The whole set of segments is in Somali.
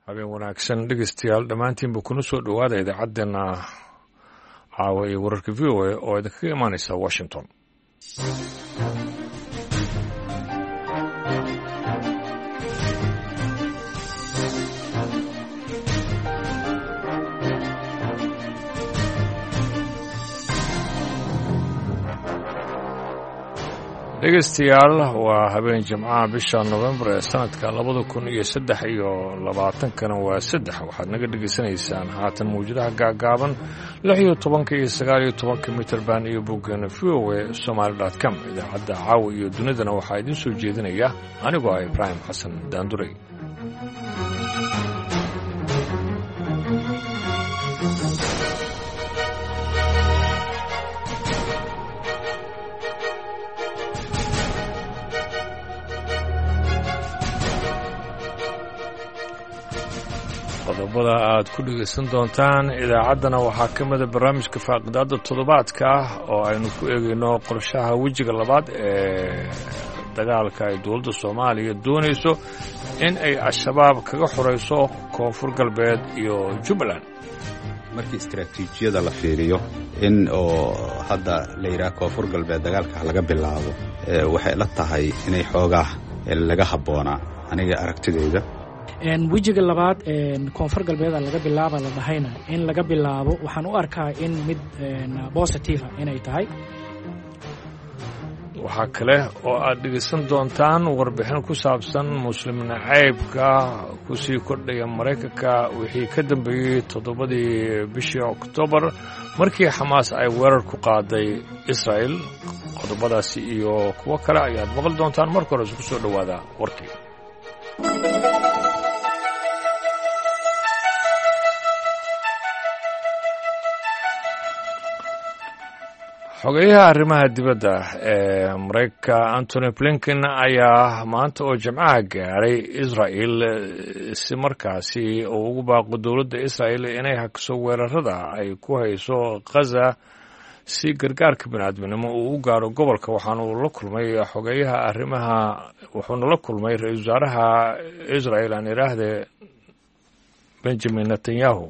Habeen wanaagsan dhegeystayaal dhammaantiinba kuna soo dhowaada idaacaddeenna caawa iyo wararka VOA oo idinkaga imaanaysa Washington. Dhegeystayaal, waa habeen Jimcaha, bisha Novembar ee sanadka 2023-kana waa 3. Waxaad naga dhegeysanaysaan haatan mawjadaha gaagaaban 16-ka iyo 19-ka mitrban iyo boggeena voasomali.com. Idaacadda caawa iyo dunidana waxaa idiin soo jeedinaya anigoo ah Ibraahim Xasan Daanduray. Qodobada aad ku dhegaysan doontaan idaacaddana waxaa ka mida barnaamijka faaqidaadda toddobaadka ah oo aynu ku eegayno qorshaha wejiga labaad ee dagaalka ay dowladda Soomaaliya doonayso in ay Al-Shabaab kaga xorayso Koonfur Galbeed iyo Jubbaland. Markii istaraatiijiyada la fiiriyo, in oo hadda la yidhaha Koonfur Galbeed dagaalka laga bilaabo, waxay la tahay inay xoogaa laga habboonaa aniga aragtidayda. Wejiga labaad Koonfur Galbeeda laga bilaaba la dhahayna, in laga bilaabo waxaan u arkaa in mid positiva inay tahay. Waxaa kale oo aad dhegaysan doontaan warbixin ku saabsan Muslim nacaybka kusii kordhaya Maraykanka wixii ka dambeeyey 7-dii bishii Oktoobar markii Xamaas ay weerar ku qaaday Israa'el. Qodobadaasi iyo kuwo kale ayaad maqli doontaan. Marka hore isku soo dhowaada warkii. Xogeyaha arrimaha dibadda ee Maraykanka Antony Blinken ayaa maanta oo Jimcaha gaaray Israel si markaasi uu ugu baaqo dowladda Israel inay hakiso weerarada ay ku hayso Khaza si gargaarka biniaadminimo uu u gaaro gobolka. Waxaana uu la kulmay xogeyaha arrimaha, wuxuuna la kulmay ra-iisul wasaaraha Israel, aan iraahde, Benjamin Netanyahu.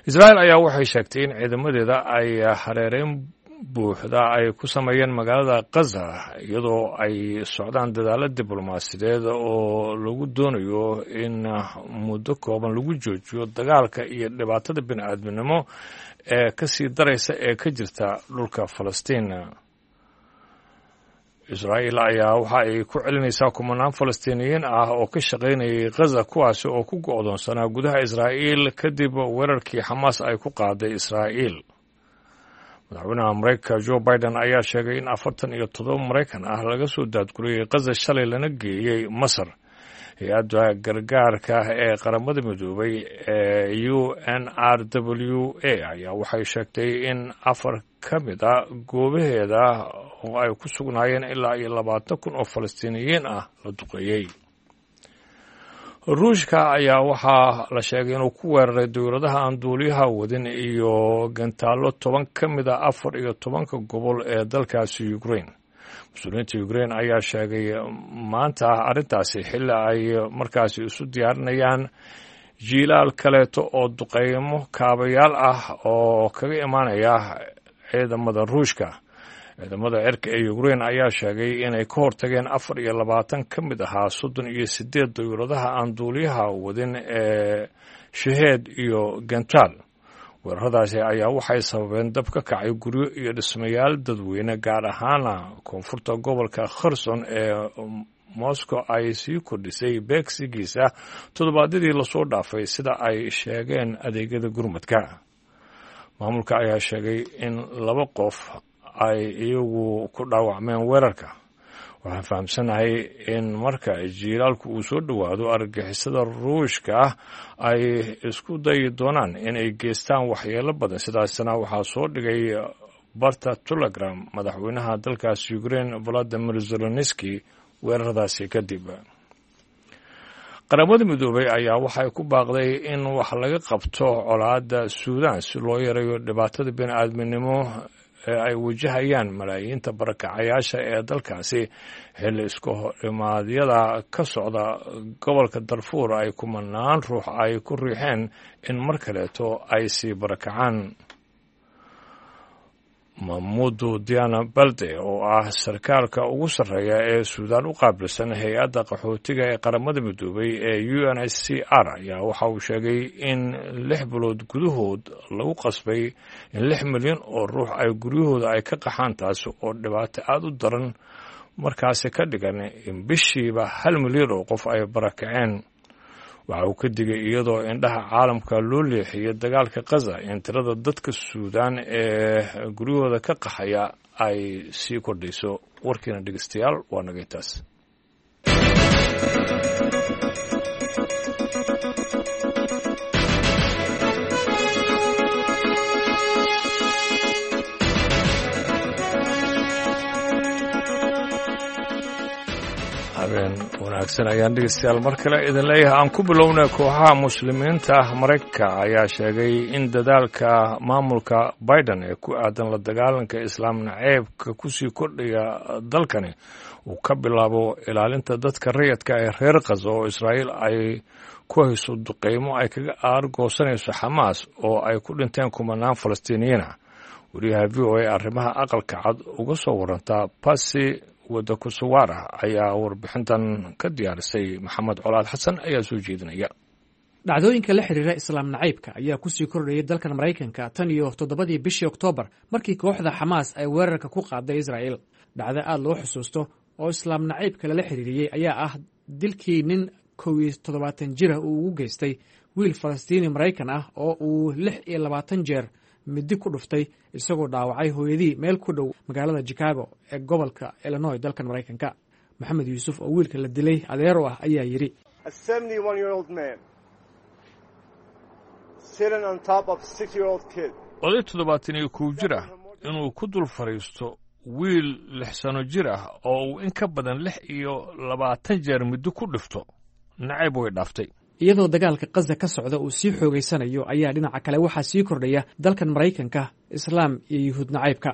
Israel ayaa waxay sheegtay in ciidamadeeda ay hareereyn buuxda ay ku sameeyeen magaalada Khaza, iyadoo ay socdaan dadaalo diblomaasiyadeed oo lagu doonayo in muddo kooban lagu joojiyo dagaalka iyo dhibaatada bini'aadminimo ee ka sii daraysa ee ka jirta dhulka Falastiin. Israa'iil ayaa waxa ay ku celinaysaa kumanaan Falastiiniyiin ah oo ka shaqaynayay Khaza, kuwaasi oo ku go'doonsanaa gudaha Israa'iil kadib weerarkii Xamaas ay ku qaaday Israa'iil. Madaxweynaha Maraykanka Joe Biden ayaa sheegay in 47 Maraykan ah laga soo daadguriyey Khaza shalay lana geeyey Masar. Hay-adda gargaarka ee Qaramada Midoobay ee UNRWA ayaa waxay sheegtay in afar ka mid a goobaheeda oo ay ku sugnaayeen ilaa iyo 20,000 oo Falastiiniyiin ah la duqeeyey. Ruushka ayaa waxaa la sheegay inuu ku weeraray dowladaha aan duuliyaha wadin iyo gantaallo 10 ka mid a 14-ka gobol ee dalkaasi Ukraine. Mas-uuliyiinta Ukraine ayaa sheegay maanta arrintaasi xilli ay markaasi isu diyaarinayaan jiilaal kaleeto oo duqeymo kaabayaal ah oo kaga imaanaya ciidamada Ruushka. Ciidamada cirka ee Ukraine ayaa sheegay inay ka hortageen 24 ka mid ahaa 38 dowladaha aan duuliyaha wadin ee Shaheed iyo gantaal. Weeraradaasi ayaa waxay sababeen dab ka kacay guryo iyo dhismayaal dadweyne, gaar ahaana koonfurta gobolka Kherson ee Moscow ay sii kordhisay beegsigiisa toddobaadyadii lasoo dhaafay, sida ay sheegeen adeegyada gurmadka. Maamulka ayaa sheegay in laba qof ay iyagu ku dhaawacmeen weerarka. Waxaan fahamsanahay in marka jiilaalku uu soo dhowaado, argagixisada Ruushka ah ay isku dayi doonaan inay geystaan waxyeelo badan. Sidaasna waxaa soo dhigay barta Telegram madaxweynaha dalkaasi Ukraine Valadimir Zelenski weeraradaasi kadib. Qaramada Midoobay ayaa waxay ku baaqday in wax laga qabto colaadda Suudan si loo yareeyo dhibaatada bini'aadminimo ee ay wajahayaan malaayiinta barakacayaasha ee dalkaasi xilli isku horimaadyada ka socda gobolka Darfuur ay kumanaan ruux ay ku riixeen in mar kaleeto ay sii barakacaan. Mamudu Diana Balde oo ah sarkaalka ugu sarreeya ee Suudaan u qaabilsan hay-adda qaxootiga ee Qaramada Midoobay ee UNHCR ayaa waxa uu sheegay in 6 bilood gudahood lagu qasbay in 6 milyan oo ruux ay guryahooda ay ka qaxaan, taasi oo dhibaato aada u daran markaasi ka dhigan in bishiiba 1 milyan oo qof ay barakaceen. Waxa uu ka digay iyadoo indhaha caalamka loo leexiyay dagaalka Khaza in tirada dadka Suudaan ee guryahooda ka qaxaya ay sii kordhayso. Warkiina dhegeystayaal waa naga intaas. Habeen wanaagsan ayaan dhegeystayaal mar kale idin leeyahay. Aan ku bilownay, kooxaha muslimiinta ah Maraykanka ayaa sheegay in dadaalka maamulka Biden ee ku aadan la dagaalanka islaam naceebka kusii kordhaya dalkani uu ka bilaabo ilaalinta dadka rayadka ee reer Khaza oo Israa'iil ay ku hayso duqeymo ay kaga aargoosanayso Xamaas oo ay ku dhinteen kumanaan Falastiiniyiin ah. Wariyaha VOA arrimaha Aqalka Cad uga soo warantaa Basi Wadakusuwaara ayaa warbixintan ka diyaarisay. Maxamed Colaad Xasan ayaa soo jeedinaya. Dhacdooyinka la xiriira islaam nacaybka ayaa kusii kordhayay dalkan Maraykanka tan iyo 7dii bishii Oktoobar, markii kooxda Xamaas ay weerarka ku qaaday Israa'iil. Dhacdo aad loo xusuusto oo islaam nacaybka lala xiriiriyey ayaa ah dilkii nin 71 jira uu ugu geystay wiil Falastiini Maraykan ah oo uu 26 jeer midi ku dhuftay, isagoo dhaawacay hooyadii meel ku dhow magaalada Chicago ee gobolka Illinois, dalkan Maraykanka. Maxamed Yuusuf oo wiilka la dilay adeero ah ayaa yidhi: Oday 71 jir ah inuu ku dul fadhiisto wiil 6 sano jir ah oo uu in ka badan 26 jeer muddo ku dhifto, nacayb way dhaaftay. Iyadoo dagaalka Khaza ka socda uu sii xoogaysanayo ayaa dhinaca kale waxaa sii kordhaya dalkan Maraykanka islaam iyo yuhuud nacaybka.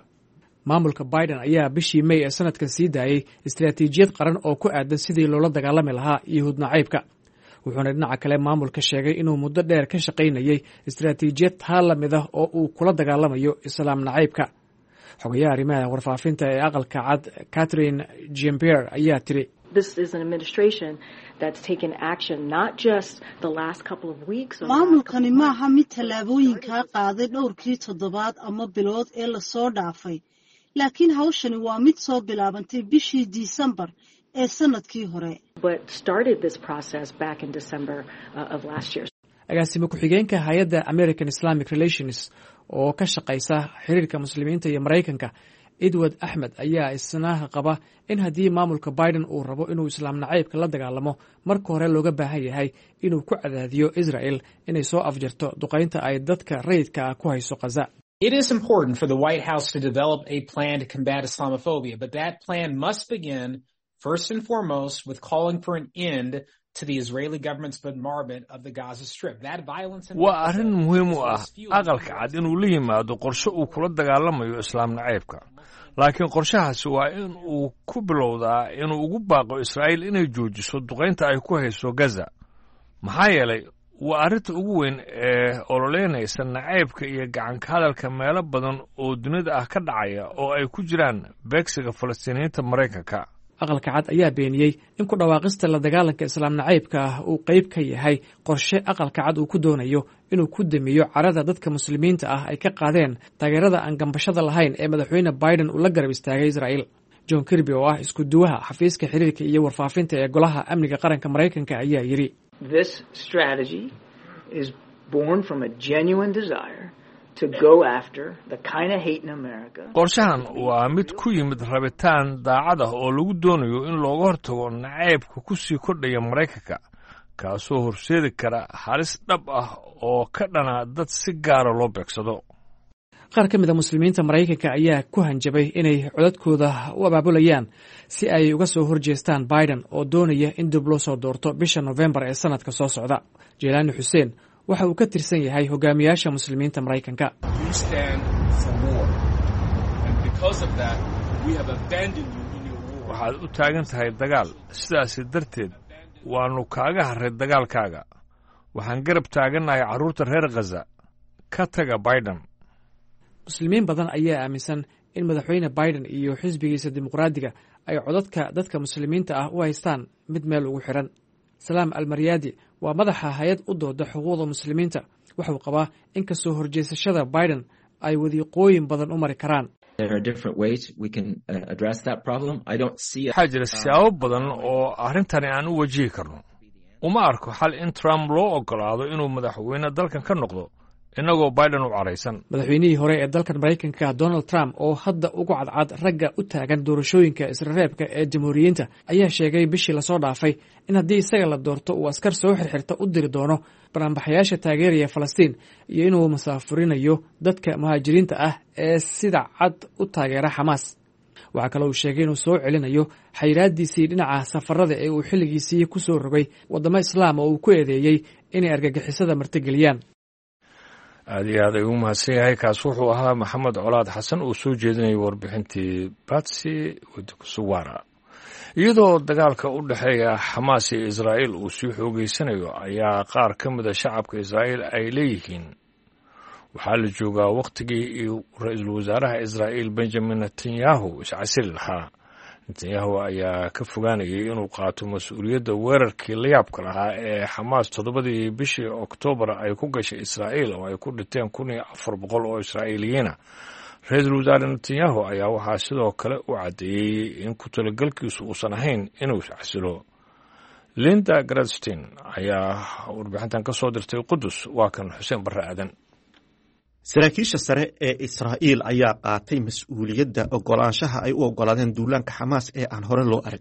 Maamulka Biden ayaa bishii May ee sanadkan sii daayey istaraatiijiyad qaran oo ku aadan sidii loola dagaalami lahaa yuhuud nacaybka, wuxuuna dhinaca kale maamulka sheegay inuu muddo dheer ka shaqaynayey istaraatiijiyad taa la mid ah oo uu kula dagaalamayo islaam nacaybka. Xogayaha arrimaha warfaafinta ee Aqalka Cad Catherine Jean-Pierre ayaa tiri: Maamulkani maaha mid tallaabooyinkaa qaaday dhowrkii toddobaad ama bilood ee lasoo dhaafay, laakiin hawshani waa mid soo bilaabantay bishii Disembar ee sannadkii hore. Agaasime ku-xigeenka hay-adda American Islamic Relations oo ka shaqaysa xiriirka muslimiinta iyo Maraykanka, Edward Axmed, ayaa isna qaba in haddii maamulka Biden uu rabo inuu islaam nacaybka la dagaalamo, marka hore looga baahan yahay inuu ku cadaadiyo Israel inay soo afjarto duqaynta ay dadka rayidka ah ku hayso Khaza. It is important for the White House to develop a plan to combat Islamophobia, but that plan must begin first and foremost with calling for an end to the Israeli government's bombardment of the Gaza Strip. That violence and Waa arrin muhiim u ah Aqalka Cad inuu la yimaado qorshe uu kula dagaalamayo islaam nacaybka, laakiin qorshahaasi waa in uu ku bilowdaa inuu ugu baaqo Israa'iil inay joojiso duqaynta ay ku hayso Gaza, maxaa yeelay waa arrinta ugu weyn ee ololeynaysa nacaybka iyo gacanka hadalka meelo badan oo dunida ah ka dhacaya oo ay ku jiraan beegsiga Falastiiniyiinta Maraykanka. Aqalka Cad ayaa beeniyey in ku dhawaaqista la dagaalanka islaam nacaybka ah uu qayb ka yahay qorshe Aqalka Cad uu ku doonayo inuu ku damiyo carada dadka muslimiinta ah ay ka qaadeen taageerada aan gambashada lahayn ee madaxweyne Biden uu la garab istaagay Israa'iil. John Kirby oo ah isku duwaha xafiiska xiriirka iyo warfaafinta ee Golaha Amniga Qaranka Maraykanka ayaa yidhi: This strategy is born from a genuine desire to go after the kind of hate in America. Qorshahan waa mid ku yimid rabitaan daacad ah oo lagu doonayo in looga hortago nacaybka ku sii kordhaya Maraykanka, kaasoo horseedi kara halis dhab ah oo ka dhana dad si gaara loo beegsado. Qaar ka mid a muslimiinta Maraykanka ayaa ku hanjabay inay codadkooda u abaabulayaan si ay uga soo horjeestaan Biden oo doonaya in dib loo soo doorto bisha Nofembar ee sanadka soo socda. Jelaani Xuseen waxa uu ka tirsan yahay hogaamiyaasha muslimiinta Maraykanka. Waxaad u taagan tahay dagaal, sidaasi darteed waannu kaaga harray dagaalkaaga. Waxaan garab taagannahay carruurta reer Khaza. Ka taga Biden. Muslimiin badan ayaa aaminsan in madaxweyne Biden iyo xisbigiisa Dimuqraadiga ay codadka dadka muslimiinta ah u haystaan mid meel ugu xiran. Salaam Almaryaadi waa madaxa hay-ad u dooda xuquuqda muslimiinta. Wuxuu qabaa in kasoo horjeesashada Biden ay wadiiqooyin badan u mari karaan. Waxaa jira siyaabo badan oo arrintani aan u wajihi karno. Uma arko xal in Trump loo oggolaado inuu madaxweyne dalkan ka noqdo innagoo Biden u caraysan. Madaxweynihii hore ee dalkan Maraykanka Donald Trump, oo hadda ugu cadcad ragga u taagan doorashooyinka israreebka ee Jamhuuriyiinta, ayaa sheegay bishii lasoo dhaafay in haddii isaga la doorto uu askar soo xirxirta u diri doono banaanbaxayaasha taageeraya Falastiin iyo inuu masaafurinayo dadka muhaajiriinta ah ee sida cad u taageera Xamaas. Waxaa kaloo uu sheegay inuu soo celinayo xayiraadiisii dhinaca safarada ee uu xilligiisii ku soo rogay waddamo Islaam oo uu ku eedeeyey inay argagixisada martigeliyaan. Aad iyo aad ayuu umahadsan yahay. Kaas wuxuu ahaa Maxamed Colaad Xasan uu soo jeedinayay warbixintii Batsi Wadkusuwara. Iyadoo dagaalka u dhexeeya Xamaas iyo Israa'iil uu sii xoogeysanayo ayaa qaar ka mida shacabka Israa'iil ay leeyihiin waxaa la joogaa wakhtigii ra-iisul wasaaraha Israa'iil Benjamin Netanyahu iscasili lahaa. Netanyahu ayaa ka fogaanayay inuu qaato mas-uuliyadda weerarkii layaabka lahaa ee Xamaas 7dii bishii Oktoobar ay ku gashay Israa'iil oo ay ku dhinteen 1400 oo Israa'iiliyiina. Ra-iisul wasaare Netanyahu ayaa waxaa sidoo kale u caddeeyey in ku talagalkiisu uusan ahayn inuu iscasilo. Linda Gradstein ayaa warbixintan ka soo dirtay Qudus. Waa kan Xuseen Barre Aadan. Saraakiisha sare ee Israa'iil ayaa qaatay mas-uuliyadda ogolaanshaha ay u ogolaadeen duulaanka Xamaas ee aan hore loo arag.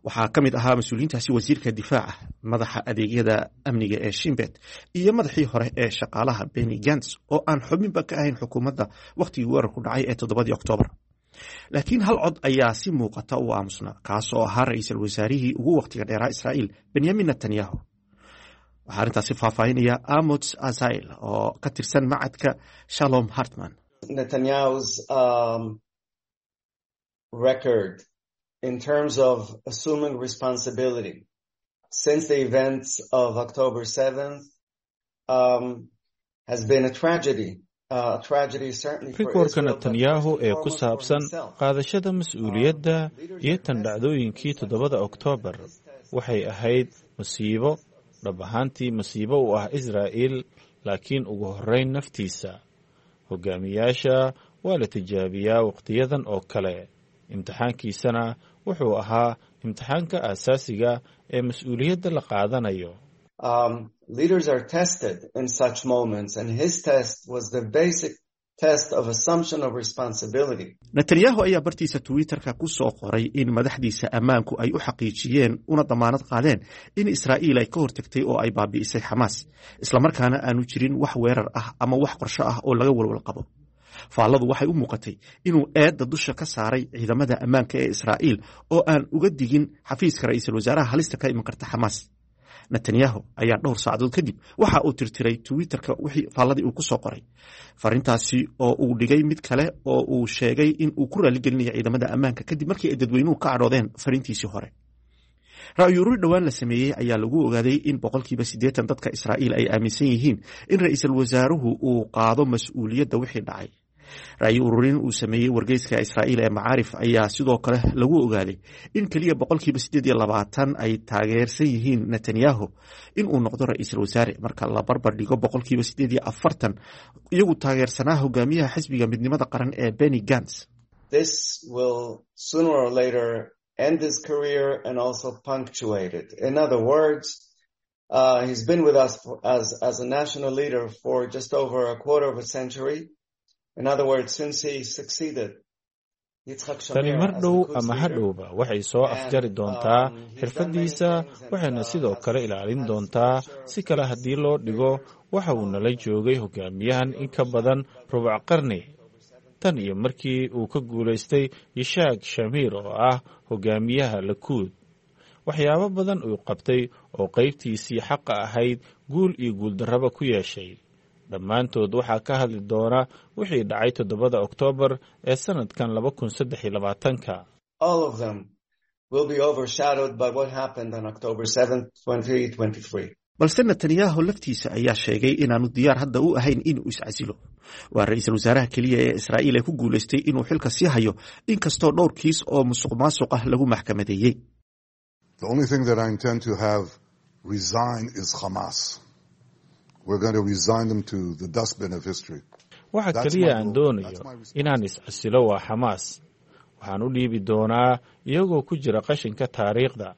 Waxaa ka mid ahaa mas-uuliyiintaasi wasiirka difaaca, madaxa adeegyada amniga ee Shimbet iyo madaxii hore ee shaqaalaha Benny Gants, oo aan xubinba ka ahayn xukuumadda wakhtigii weerarku dhacay ee 7dii Oktoobar. Laakiin hal cod ayaa si muuqata u aamusnaa, kaas oo ahaa ra-iisul wasaarihii ugu wakhtiga dheeraa Israa'iil, Benyamin Netanyahu. Waxaa arrintaasi faahfaahinaya Amots Azail oo ka tirsan macadka Shalom Hartman. Netanyahu's record in terms of assuming responsibility since the events of October 7th has been a tragedy. Rikoorka Netanyahu ee ku saabsan qaadashada mas-uuliyadda iyo tan dhacdooyinkii 7da Oktoobar waxay ahayd masiibo, dhab ahaantii masiibo u ah Israa'iil, laakiin ugu horrayn naftiisa. Hogaamiyaasha waa la tijaabiyaa wakhtiyadan oo kale. Imtixaankiisana wuxuu ahaa imtixaanka aasaasiga ee mas-uuliyadda la qaadanayo. Leaders are tested in such moments, and his test was the basic test of assumption of responsibility. Netanyahu ayaa bartiisa Twitterka ku soo qoray in madaxdiisa ammaanku ay u xaqiijiyeen una damaanad qaadeen in Israa'iil ay ka hortagtay oo ay baabi'isay Xamaas, islamarkaana aanu jirin wax weerar ah ama wax qorsho ah oo laga walwal qabo. Faalladu waxay u muuqatay inuu eedda dusha ka saaray ciidamada ammaanka ee Israa'iil oo aan uga digin xafiiska ra-iisul wasaaraha halista ka iman karta Xamaas. Netanyahu ayaa dhowr saacadood kadib waxa uu tirtiray Twitterka wixii faalladii uu ku soo qoray, farintaasi oo uu dhigay mid kale oo uu sheegay in uu ku raaligelinayo ciidamada ammaanka kadib markii ay dadweynuhu ka cadhoodeen fariintiisii hore. Ra'yururi dhowaan la sameeyey ayaa lagu ogaaday in 80% dadka Israa'iil ay aaminsan yihiin in ra-iisul wasaaruhu uu qaado mas-uuliyadda wixii dhacay. Ra'yi ururin uu sameeyey wargeyska Israa'iil ee Macaarif ayaa sidoo kale lagu ogaaday in keliya 28% ay taageersan yihiin Netanyahu in uu noqdo ra-iisul wasaare, marka la barbar dhigo 48% iyagu taageersanaa hogaamiyaha xisbiga Midnimada Qaran ee Benny Gants. This will sooner or later end his career and also punctuate it. In other words, he's been with us as a national leader for just over a quarter of a century. In other words, since he succeeded Tani mar dhow ama hadhowba waxay soo afjari doontaa xirfaddiisa, waxayna sidoo kale ilaalin doontaa. Si kale haddii loo dhigo, waxa uu nala joogay hogaamiyahan in ka badan rubuc qarni, tan iyo markii uu ka guulaystay Yishaak Shamiir oo ah hogaamiyaha Lakuud. Waxyaabo badan uu qabtay oo qaybtiisii xaqa ahayd guul iyo guuldarraba ku yeeshay. Dhammaantood waxaa ka hadli doona wixii dhacay 7 Oktoobar ee sanadkan 2023. All of them will be overshadowed by what happened on October 7th, 2023. Balse Netanyahu laftiisa ayaa sheegay inaanu diyaar hadda u ahayn inuu iscasilo. Waa ra-iisul wasaaraha keliya ee Israa'iil ee ku guulaystay inuu xilka sii hayo, inkastoo dhowr kiis oo musuq maasuq ah lagu maxkamadeeyey. The only thing that I intend to have resign is Hamas. We're going to resign them to the dustbin of history. Waxa keliya aan doonayo inaan iscasilo waa Xamaas. Waxaan u dhiibi doonaa iyagoo ku jira qashinka taariikhda.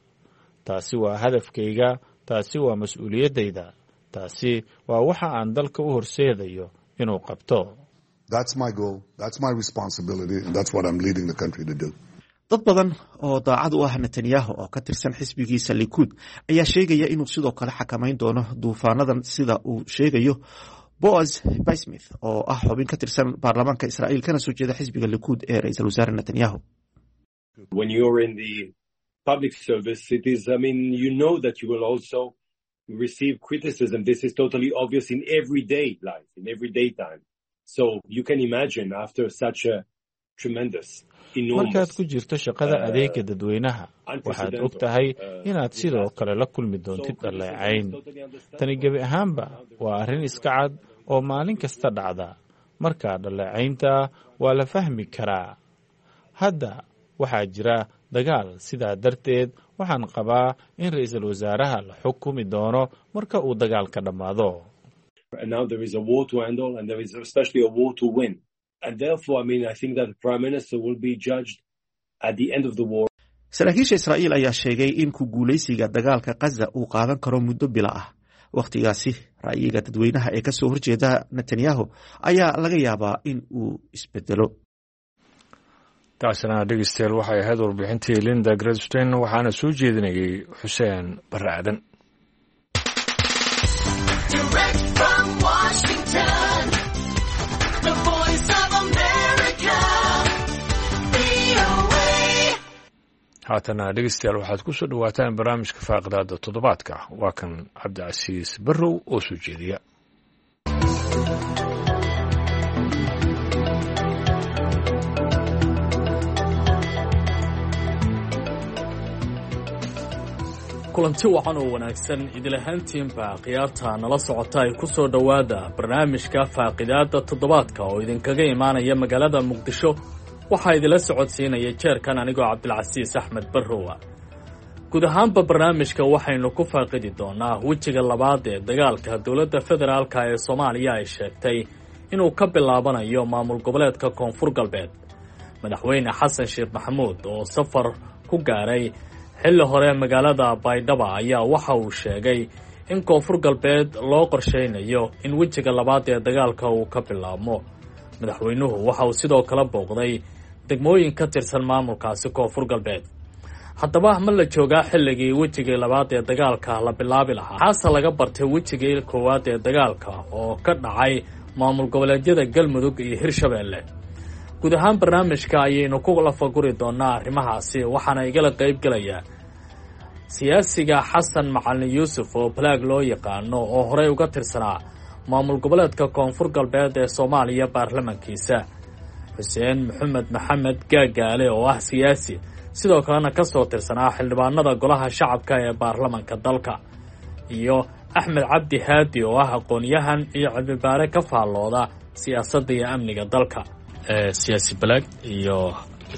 Taasi waa hadafkayga, taasi waa mas-uuliyaddayda, taasi waa waxa aan dalka u horseedayo inuu qabto. That's my goal, that's my responsibility, and that's what I'm leading the country to do. Dad badan oo daacad u ah Netanyahu oo ka tirsan xisbigiisa Likuud ayaa sheegaya inuu sidoo kale xakamayn doono duufaanadan, sida uu sheegayo Boaz Bismuth oo ah xubin ka tirsan baarlamaanka Israa'iil kana soo jeeda xisbiga Likuud ee ra-iisul wasaare Netanyahu. When you're in the public service, it is, I mean, you know that you will also receive criticism. This is totally obvious in everyday life, in everyday time. So you can imagine after such a tremendous, Markaad ku jirto shaqada adeega dadweynaha, waxaad og tahay inaad sidoo kale la kulmi doontid dhaleecayn. Tani gebi ahaanba waa arrin iska cad oo maalin kasta dhacda. Markaa dhaleecaynta waa la fahmi karaa. Hadda waxaa jira dagaal, sidaa darteed waxaan qabaa in ra-iisul wasaaraha la xukumi doono marka uu dagaalka dhammaado. And now there is a war to handle, and there is especially a war to win. And therefore, I mean, I think that the prime minister will be judged at the end of the war. Saraakiisha Israa'iil ayaa sheegay in ku guulaysiga dagaalka Khaza uu qaadan karo muddo bila ah. Wakhtigaasi ra'yiga dadweynaha ee kasoo horjeeda Netanyahu ayaa laga yaabaa in uu isbedelo. Taasina, dhegeystayaal, waxay ahayd warbixintii Linda Gradstein, waxaana soo jeedinayay Xuseen Barre Aadan. Direct from Washington, the Voice of America, VOA. Haatana, dhegeystayaal, waxaad ku soo dhowaataan barnaamijka faaqidaada toddobaadka. Waa kan Cabdicasiis Barrow oo soo jeediya. Kulanti wacan oo wanaagsan idil ahaantiinba, khiyaarta nala socota ay ku soo dhowaada barnaamijka faaqidaadda toddobaadka oo idinkaga imaanaya magaalada Muqdisho. Waxaa idinla socodsiinaya jeerkan anigoo Cabdilcasiis Axmed Barrowa. Guud ahaanba barnaamijka waxaynu ku faaqidi doonaa wejiga labaad ee dagaalka dowladda federaalka ee Soomaaliya ay sheegtay inuu ka bilaabanayo maamul goboleedka Koonfur Galbeed. Madaxweyne Xasan Sheekh Maxamuud oo safar ku gaaray xilli hore magaalada Baydhaba ayaa waxa uu sheegay in Koonfur Galbeed loo qorshaynayo in wejiga labaad ee dagaalka uu ka bilaabmo. Madaxweynuhu waxa uu sidoo kale booqday degmooyin ka tirsan maamulkaasi Koonfur Galbeed. Haddaba ma la joogaa xilligii wejigii labaad ee dagaalka la bilaabi lahaa? Xaase laga bartay wejigii koowaad ee dagaalka oo ka dhacay maamul goboleedyada Galmudug iyo Hirshabeelle? Guud ahaan barnaamijka ayaynu ku lafaguri doonaa arrimahaasi, waxaana igala qayb gelaya siyaasiga Xasan Macalin Yuusuf oo Balaag loo yaqaano oo horey uga tirsanaa maamul goboleedka Koonfur Galbeed ee Soomaaliya baarlamankiisa, Xuseen Maxamed Maxamed Gaagaale oo ah siyaasi sidoo kalena ka soo tirsanaa xildhibaanada golaha shacabka ee baarlamanka dalka, iyo Axmed Cabdi Haadi oo ah aqoon-yahan iyo cilmibaare ka faallooda siyaasadda iyo amniga dalka. Siyaasi Balaag iyo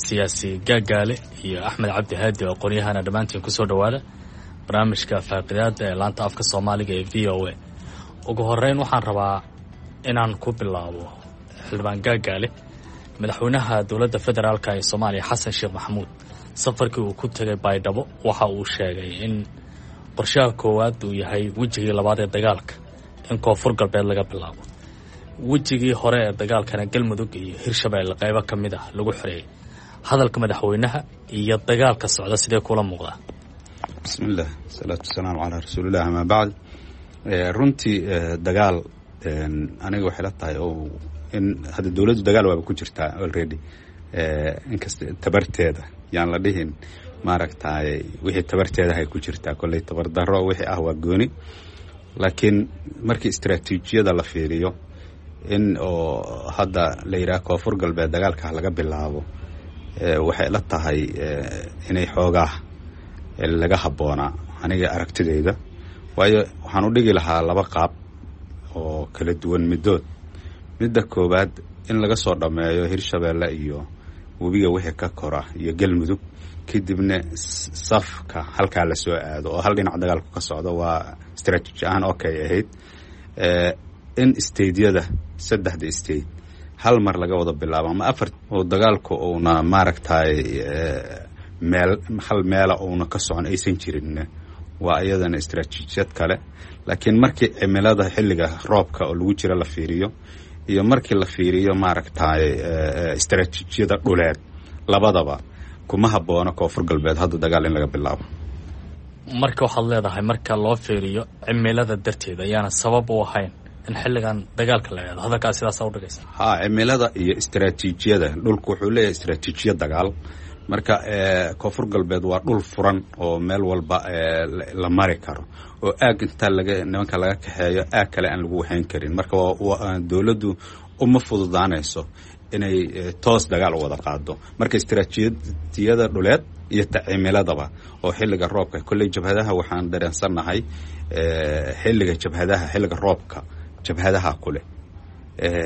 siyaasi Gaagaale iyo Axmed Cabdi Haadi oo aqoon-yahana, dhammaantiin kusoo dhowaada barnaamijka faaqidaada ee laanta afka Soomaaliga ee VOA. Ugu horeyn waxaan rabaa inaan ku bilaabo xildhibaan Gaagaale. Madaxweynaha dowladda federaalka ee Soomaaliya Xasan Sheekh Maxamuud safarkii uu ku tegay Baydhabo waxa uu sheegay in qorshaha koowaad uu yahay wejigii labaad ee dagaalka in Koonfur Galbeed laga bilaabo, wejigii hore ee dagaalkana Galmudug iyo Hirshabeelle qaybo ka mid ah lagu xoreeyay. Hadalka madaxweynaha iyo dagaalka socda sidee kula muuqdaa? Bismillaah, salaatu wasalaamu calaa rasuulilah, amaa bacd. Runtii dagaal aniga waxay la tahay oo in hadda dowladdu dagaal waaba ku jirtaa already, inkasta tabarteeda yaan la dhihin, maaragtay, wixii tabarteedahay ku jirtaa. Kolley tabardaro wixii ah waa gooni. Laakiin markii istaraatiijiyada la fiiriyo, in oo hadda la yidhaha Koonfur Galbeed dagaalka laga bilaabo, waxay la tahay inay xoogaa laga habboonaa aniga aragtidayda. Waayo, waxaan u dhigi lahaa laba qaab oo kala duwan middood. Midda koowaad, in laga soo dhammeeyo Hirshabeelle iyo webiga wixii ka kora iyo Galmudug, kadibna safka halkaa la soo aado oo hal dhinac dagaalku ka socdo, waa strategy ahaan okay ahayd. In stateyada, saddexda state, hal mar laga wada bilaabo ama afar oo dagaalku uuna maaragtay meel hal meela uuna ka socon aysan jirin, waa iyadana istaraatiijiyad kale. Laakiin markii cimilada xilliga roobka oo lagu jiro la fiiriyo iyo markii la fiiriyo maaragtay istaraatiijiyada dhuleed, labadaba kuma habboona Koonfur Galbeed hadda dagaal in laga bilaabo. Marka waxaad leedahay, marka loo fiiriyo cimilada darteed ayaana sabab u ahayn in xilligan dagaalka la eedo, hadalkaas sidaasa udhigaysa? Ha, cimilada iyo istaraatiijiyada dhulku wuxuu leeyahay istaraatiijiyad dagaal. Marka Koonfur Galbeed waa dhul furan oo meel walba la mari karo, oo aag intaa laga nimanka laga kaxeeyo aag kale aan lagu waxayn karin. Marka dowladdu uma fududaanayso inay toos dagaal u wada qaado. Marka istaraatiijiyada dhuleed iyo ta cimiladaba oo xilliga roobka, kolley jabhadaha waxaan dareensannahay xilliga jabhadaha, xilliga roobka jabhadaha kuleh,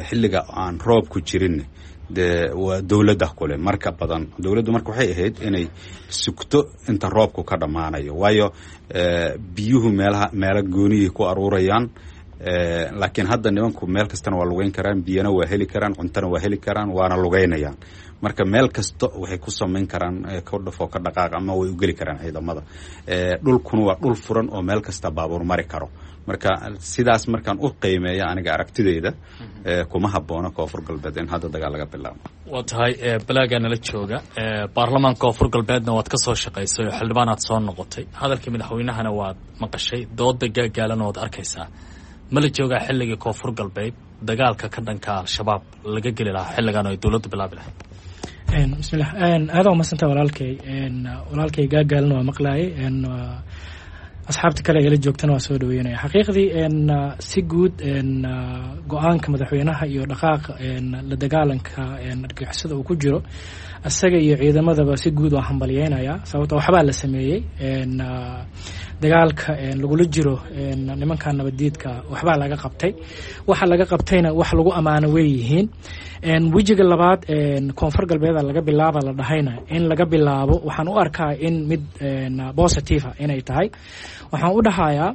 xilliga aan roobku jirin dee waa dowladda kule. Marka badan dowladdu marka waxay ahayd inay sugto inta roobku ka dhammaanayo, waayo biyuhu meelaha meelo gooniyay ku aruurayaan. Laakiin hadda nimanku meel kastana waa lugeyn karaan, biyana waa heli karaan, cuntona waa heli karaan, waana lugeynayaan. Marka meel kasta waxay ku samayn karaan ka dhafoo ka dhaqaaq ama way u geli karaan ciidamada. Dhulkuna waa dhul furan oo meel kasta baabuur mari karo. Marka sidaas markaan u qiimeeya aniga aragtidayda, kuma habboona Koonfur Galbeed in hadda dagaal laga bilaabo. Waa tahay. Balaagaa nala jooga, baarlamaanka Koonfur Galbeedna waad ka soo shaqaysay oo xildhibaanaad soo noqotay. Hadalkii madaxweynahana waad maqashay, dooda gaagaalana waad arkaysaa. Ma la joogaa xilligii Koonfur Galbeed dagaalka ka dhanka Al-Shabaab laga geli lahaa xilligan oo ay dowladdu bilaabi lahayd? Bismillah, aada umadsanta walaalkay. Walaalkay gaagaalna waa maqlaayay, asxaabta kale ee la joogtana waa soo dhaweynaya. Xaqiiqdii, si guud go-aanka madaxweynaha iyo dhaqaaqa la dagaalanka argagixisada uu ku jiro isaga iyo ciidamadaba, si guud waa hambalyeynaya, sababto waxbaa la sameeyey. Dagaalka lagula jiro nimanka nabaddiidka waxbaa laga qabtay, waxa laga qabtayna wax lagu ammaano way yihiin. Wejiga labaad Koonfur Galbeeda laga bilaaba la dhahayna, in laga bilaabo waxaan u arkaa in mid positive inay tahay. Waxaan u dhahayaa,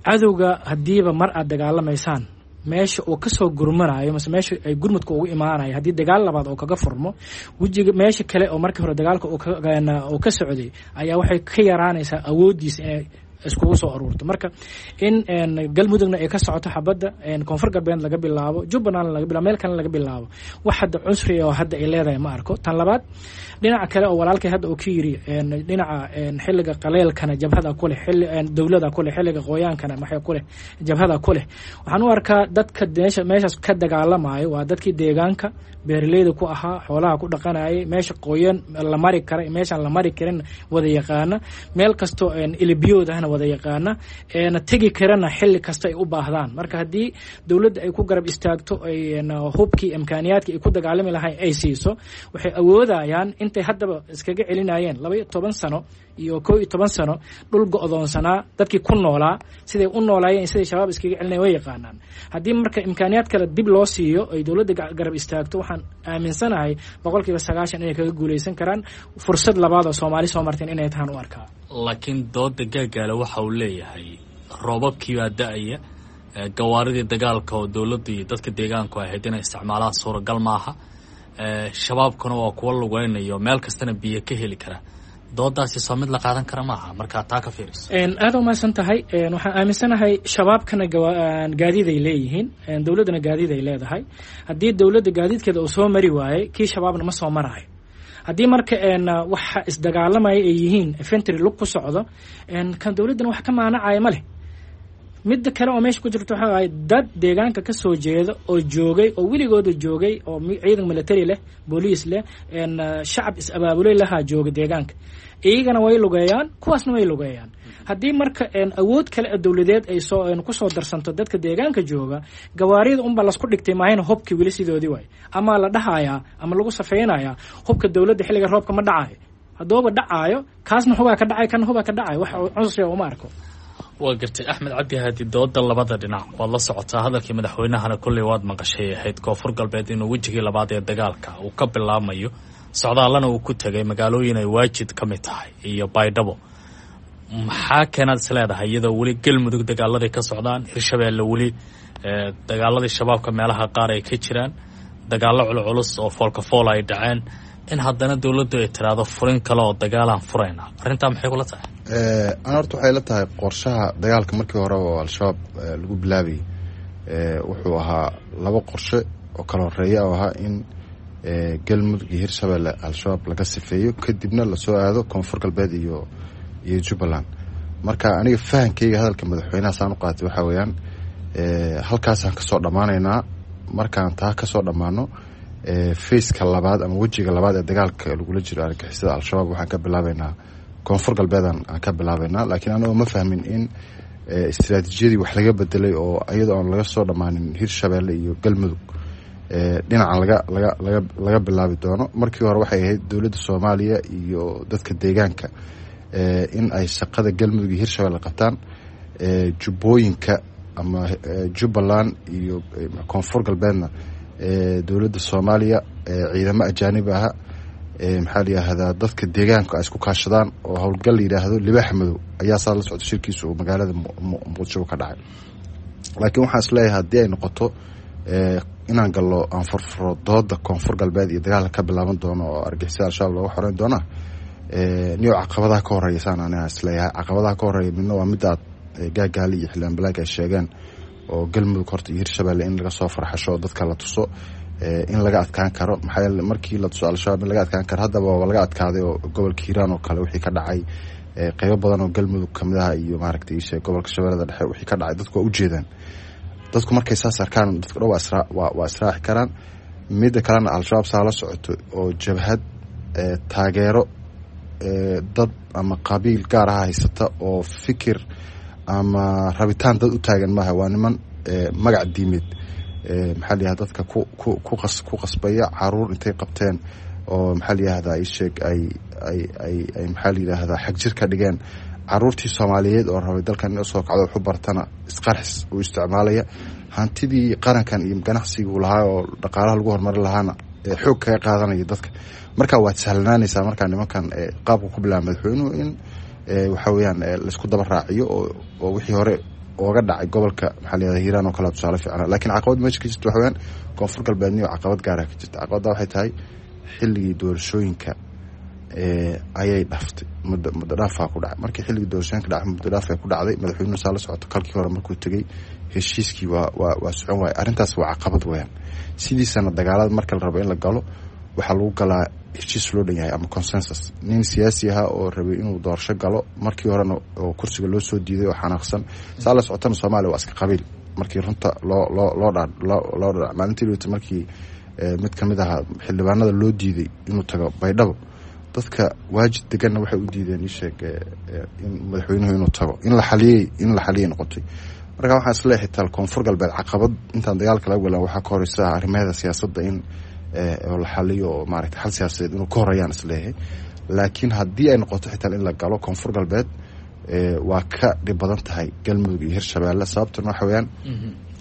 cadowga haddiiba mar aad dagaalamaysaan, meesha uu kasoo gurmanayo mase meesha ay gurmudka ugu imaanayo, haddii dagaal labaad oo kaga furmo wejiga meesha kale oo markii hore dagaalka uu ka socday, ayaa waxay ka yaraanaysaa awooddiisa inay iskugu soo aruurto. Marka in Galmudugna ay ka socoto xabadda, Koonfur Galbeed laga bilaabo, Jubbaland laga bilaabo, meel kalena laga bilaabo, wax hadda cusri oo hadda ay leedahay ma arko. Tan labaad, dhinaca kale oo walaalkay hadda uu ka yiri, dhinaca xilliga qaleelkana jabhada kuleh, xilli dowlada kuleh, xilliga qoyaankana maxay kuleh, jabhada kuleh, waxaan u arkaa dadka meesha meeshaas ka dagaalamayo waa dadkii deegaanka beeraleyda ku ahaa, xoolaha ku dhaqanayay, meesha qoyan la mari kara, meeshaan la mari karin wada yaqaana, meel kastoo ilibiyood ahna wada yaqaana, tegi karana xilli kasta ay u baahdaan. Marka haddii dowladda ay ku garab istaagto, ay hubkii imkaaniyaadkii ay ku dagaalami lahayn ay siiso, waxay awoodayaan intay haddaba iskaga celinayeen 12 sano iyo 11 sano dhul go-doonsanaa dadkii ku noolaa, siday u noolaayeen, siday Shabaab iskaga celinayen way yaqaanaan. Haddii marka imkaaniyaad kale dib loo siiyo, ay dowladda garab istaagto, waxaan aaminsanahay 90% inay kaga guuleysan karaan. Fursad labaad oo Soomaali soo marteen inay tahaan u arkaa. Laakiin dooda gaagaale waxa uu leeyahay, roobabkii baa da-aya, gawaaridii dagaalka oo dowladda iyo dadka deegaanku ahayd inay isticmaalaan suuragal maaha, shabaabkuna waa kuwa lugeynayo, meel kastana biyo ka heli kara. Doodaasi soo mid la qaadan kara maaha markaa taa ka fiiriso? Aada umahadsan tahay. Waxaan aaminsanahay shabaabkana gaadiid ay leeyihiin, dowladdana gaadiid ay leedahay. Haddii dowladda gaadiidkeeda uu soo mari waayey, kii shabaabna ma soo maraayo. Haddii marka waxa isdagaalamaya ay yihiin infantry lug ku socdo, kan dowladdana wax ka maanacaya ma leh. Midda kale oo meesha ku jirto waxa waaye, dad deegaanka ka soo jeeda oo joogay oo weligooda joogay oo ciidan military leh, booliis leh, shacab is-abaabulay lahaa jooga deegaanka, iyagana way lugeeyaan, kuwaasna way lugeeyaan. Haddii marka awood kale oo dowladeed ay soo kusoo darsanto dadka deegaanka jooga, gawaarida unbaa lasku dhigtay maahayna hubkii weli sidoodii waay, ama la dhahayaa ama lagu safeynayaa hubka dowladda xilliga roobka ma dhacayo. Haddooba dhacaayo, kaasna hubaa ka dhacay, kana hubaa ka dhacayo, wax cusriga uma arko. Waa gartay, Axmed Cabdi Haadi. Dooda labada dhinac waad la socotaa, hadalkii madaxweynahana kolley waad maqashay, ahayd Koonfur Galbeed inuu wejigii labaad ee dagaalka uu ka bilaabmayo, socdaallana uu ku tegay magaalooyin ay Waajid ka mid tahay iyo Baydhabo. Maxaa keenaad is leedahay, iyadoo weli Galmudug dagaaladii ka socdaan, Hirshabeelle weli dagaaladii Shabaabka meelaha qaar ay ka jiraan, dagaallo culculus oo foolka fool ay dhaceen, in haddana dowladdu ay tiraahdo furin kale oo dagaalaan furayna? Arrintaa maxay kula tahay? Ana horta waxay la tahay qorshaha dagaalka markii hore oo Al-Shabaab lagu bilaabayay wuxuu ahaa laba qorshe oo kala horeeya, oo ahaa in Galmudug iyo Hirshabeelle Al-Shabaab laga sifeeyo, kadibna lasoo aado Koonfur Galbeed iyo Jubbaland. Marka aniga fahankeyga hadalka madaxweynaha saan u qaatay waxaa weeyaan, halkaasaan kasoo dhammaanaynaa. Markaan taa kasoo dhammaano, phase-ka labaad ama wejiga labaad ee dagaalka lagula jiro argagixisada Al-Shabaab waxaan ka bilaabeynaa Koonfur Galbeedan aan ka bilaabeynaa. Laakiin anagoo ma fahmin in istiraatiijiyadii wax laga bedelay oo iyadoo aan laga soo dhammaanin Hirshabeelle iyo Galmudug dhinacan laga bilaabi doono. Markii hore waxay ahayd dowladda Soomaaliya iyo dadka deegaanka in ay shaqada Galmudug iyo Hirshabeelle qabtaan, jubbooyinka ama Jubbaland iyo Koonfur Galbeedna dowladda Soomaaliya, ciidamo ajaanib aha, maxaa la yidhaahdaa, dadka deegaanka ay isku kaashadaan oo howlgal la yidhaahdo Libaaxa Madow ayaa saa la socda shirkiisa uu magaalada Muqdisho ka dhacay. Laakiin waxaan isleeyahay haddii ay noqoto inaan gallo aan furfuro dooda Koonfur Galbeed iyo dagaalka ka bilaaban doono oo argixisada Al-Shabaab looga xoreyn doona, niyo caqabadaha ka horeeya saan aniga isleeyahay caqabadaha ka horeeya midna waa midda Gaagaali iyo Xildhibaan Balaag ay sheegeen oo Galmudug horta iyo Hirshabeelle in laga soo farxasho oo dadka la tuso in laga adkaan karo. Maxaa yeele markii la tuso Al-Shabaab in laga adkaan karo, haddaba waa laga adkaaday oo gobolka Hiiraan oo kale wixii ka dhacay, qeybo badan oo Galmudug kamid ah iyo maaragtay ishe gobolka Shabeellada Dhexe wixii ka dhacay, dadku waa ujeedaan. Dadku markay saas arkaan, dadku dhan waa israaci karaan. Midda kalena, Al-Shabaab saa la socoto oo jabhad taageero dad ama qabiil gaar ah haysata oo fikir ama rabitaan dad u taagan maaha. Waa niman magac diimeed, maxaa la yihahda, dadka ku qasbaya, caruur intay qabteen oo maxaa la yihahdaa isheeg ay maxaa la yidhaahdaa xagjir ka dhigeen, caruurtii Soomaaliyeed oo rabay dalkan in usoo kacdo waxu bartana isqarxis uu isticmaalaya, hantidii qarankan iyo ganacsigii uu lahaa oo dhaqaalaha lagu horumarin lahaana xoog kaga qaadanaya dadka. Marka waad sahlanaanaysaa markaa nimankan qaabka ku bilaaba madaxweynuhu in waxa weeyaan laisku daba raaciyo oo wixii hore ooga dhacay gobolka, maxaa la yihahda, Hiiraan oo kale tusaale fiicna. Laakiin caqabad meesha ka jirta waxa weeyaan Koonfur Galbeedniyo caqabad gaara ka jirta. Caqabadda waxay tahay xilligii doorashooyinka ayay dhaftay, muddo dhaafaa ku dhacay. Markii xilligii doorashooyinka dhacay muddo dhaaf ay ku dhacday, madaxweynuhu saa la socoto kalkii hore markuu tegey heshiiskii waa socon waayay. Arrintaas waa caqabad weeyaan. Sidiisana dagaalada marka la rabo in la galo waxaa lagu galaa heshiis loo dhan yahay ama consensus. Nin siyaasi ahaa oo rabay inuu doorasho galo markii horena oo kursiga loo soo diiday oo xanaaqsan, saa la socotana Soomaaliya waa iska qabiil markii runta loo dhadhac. Maalintii dhowta markii mid kamid ahaa xildhibaanada loo diiday inuu tago Baydhabo, dadka Waajid deganna waxay u diideen isheeg in madaxweynuhu inuu tago, in la xaliyay noqotay. Marka waxaan isleeyahay xitaa Koonfur Galbeed caqabad intaan dagaalka laga walan waxaa ka horeysa arrimaheeda siyaasadda in oo la xaliyo oo maaragtay xal siyaasadeed inuu ka horeeyaan isleeyahay. Laakiin haddii ay noqoto xitaa in la galo Koonfur Galbeed, waa ka dhib badan tahay Galmudug iyo Hirshabeelle. Sababtuna waxa weeyaan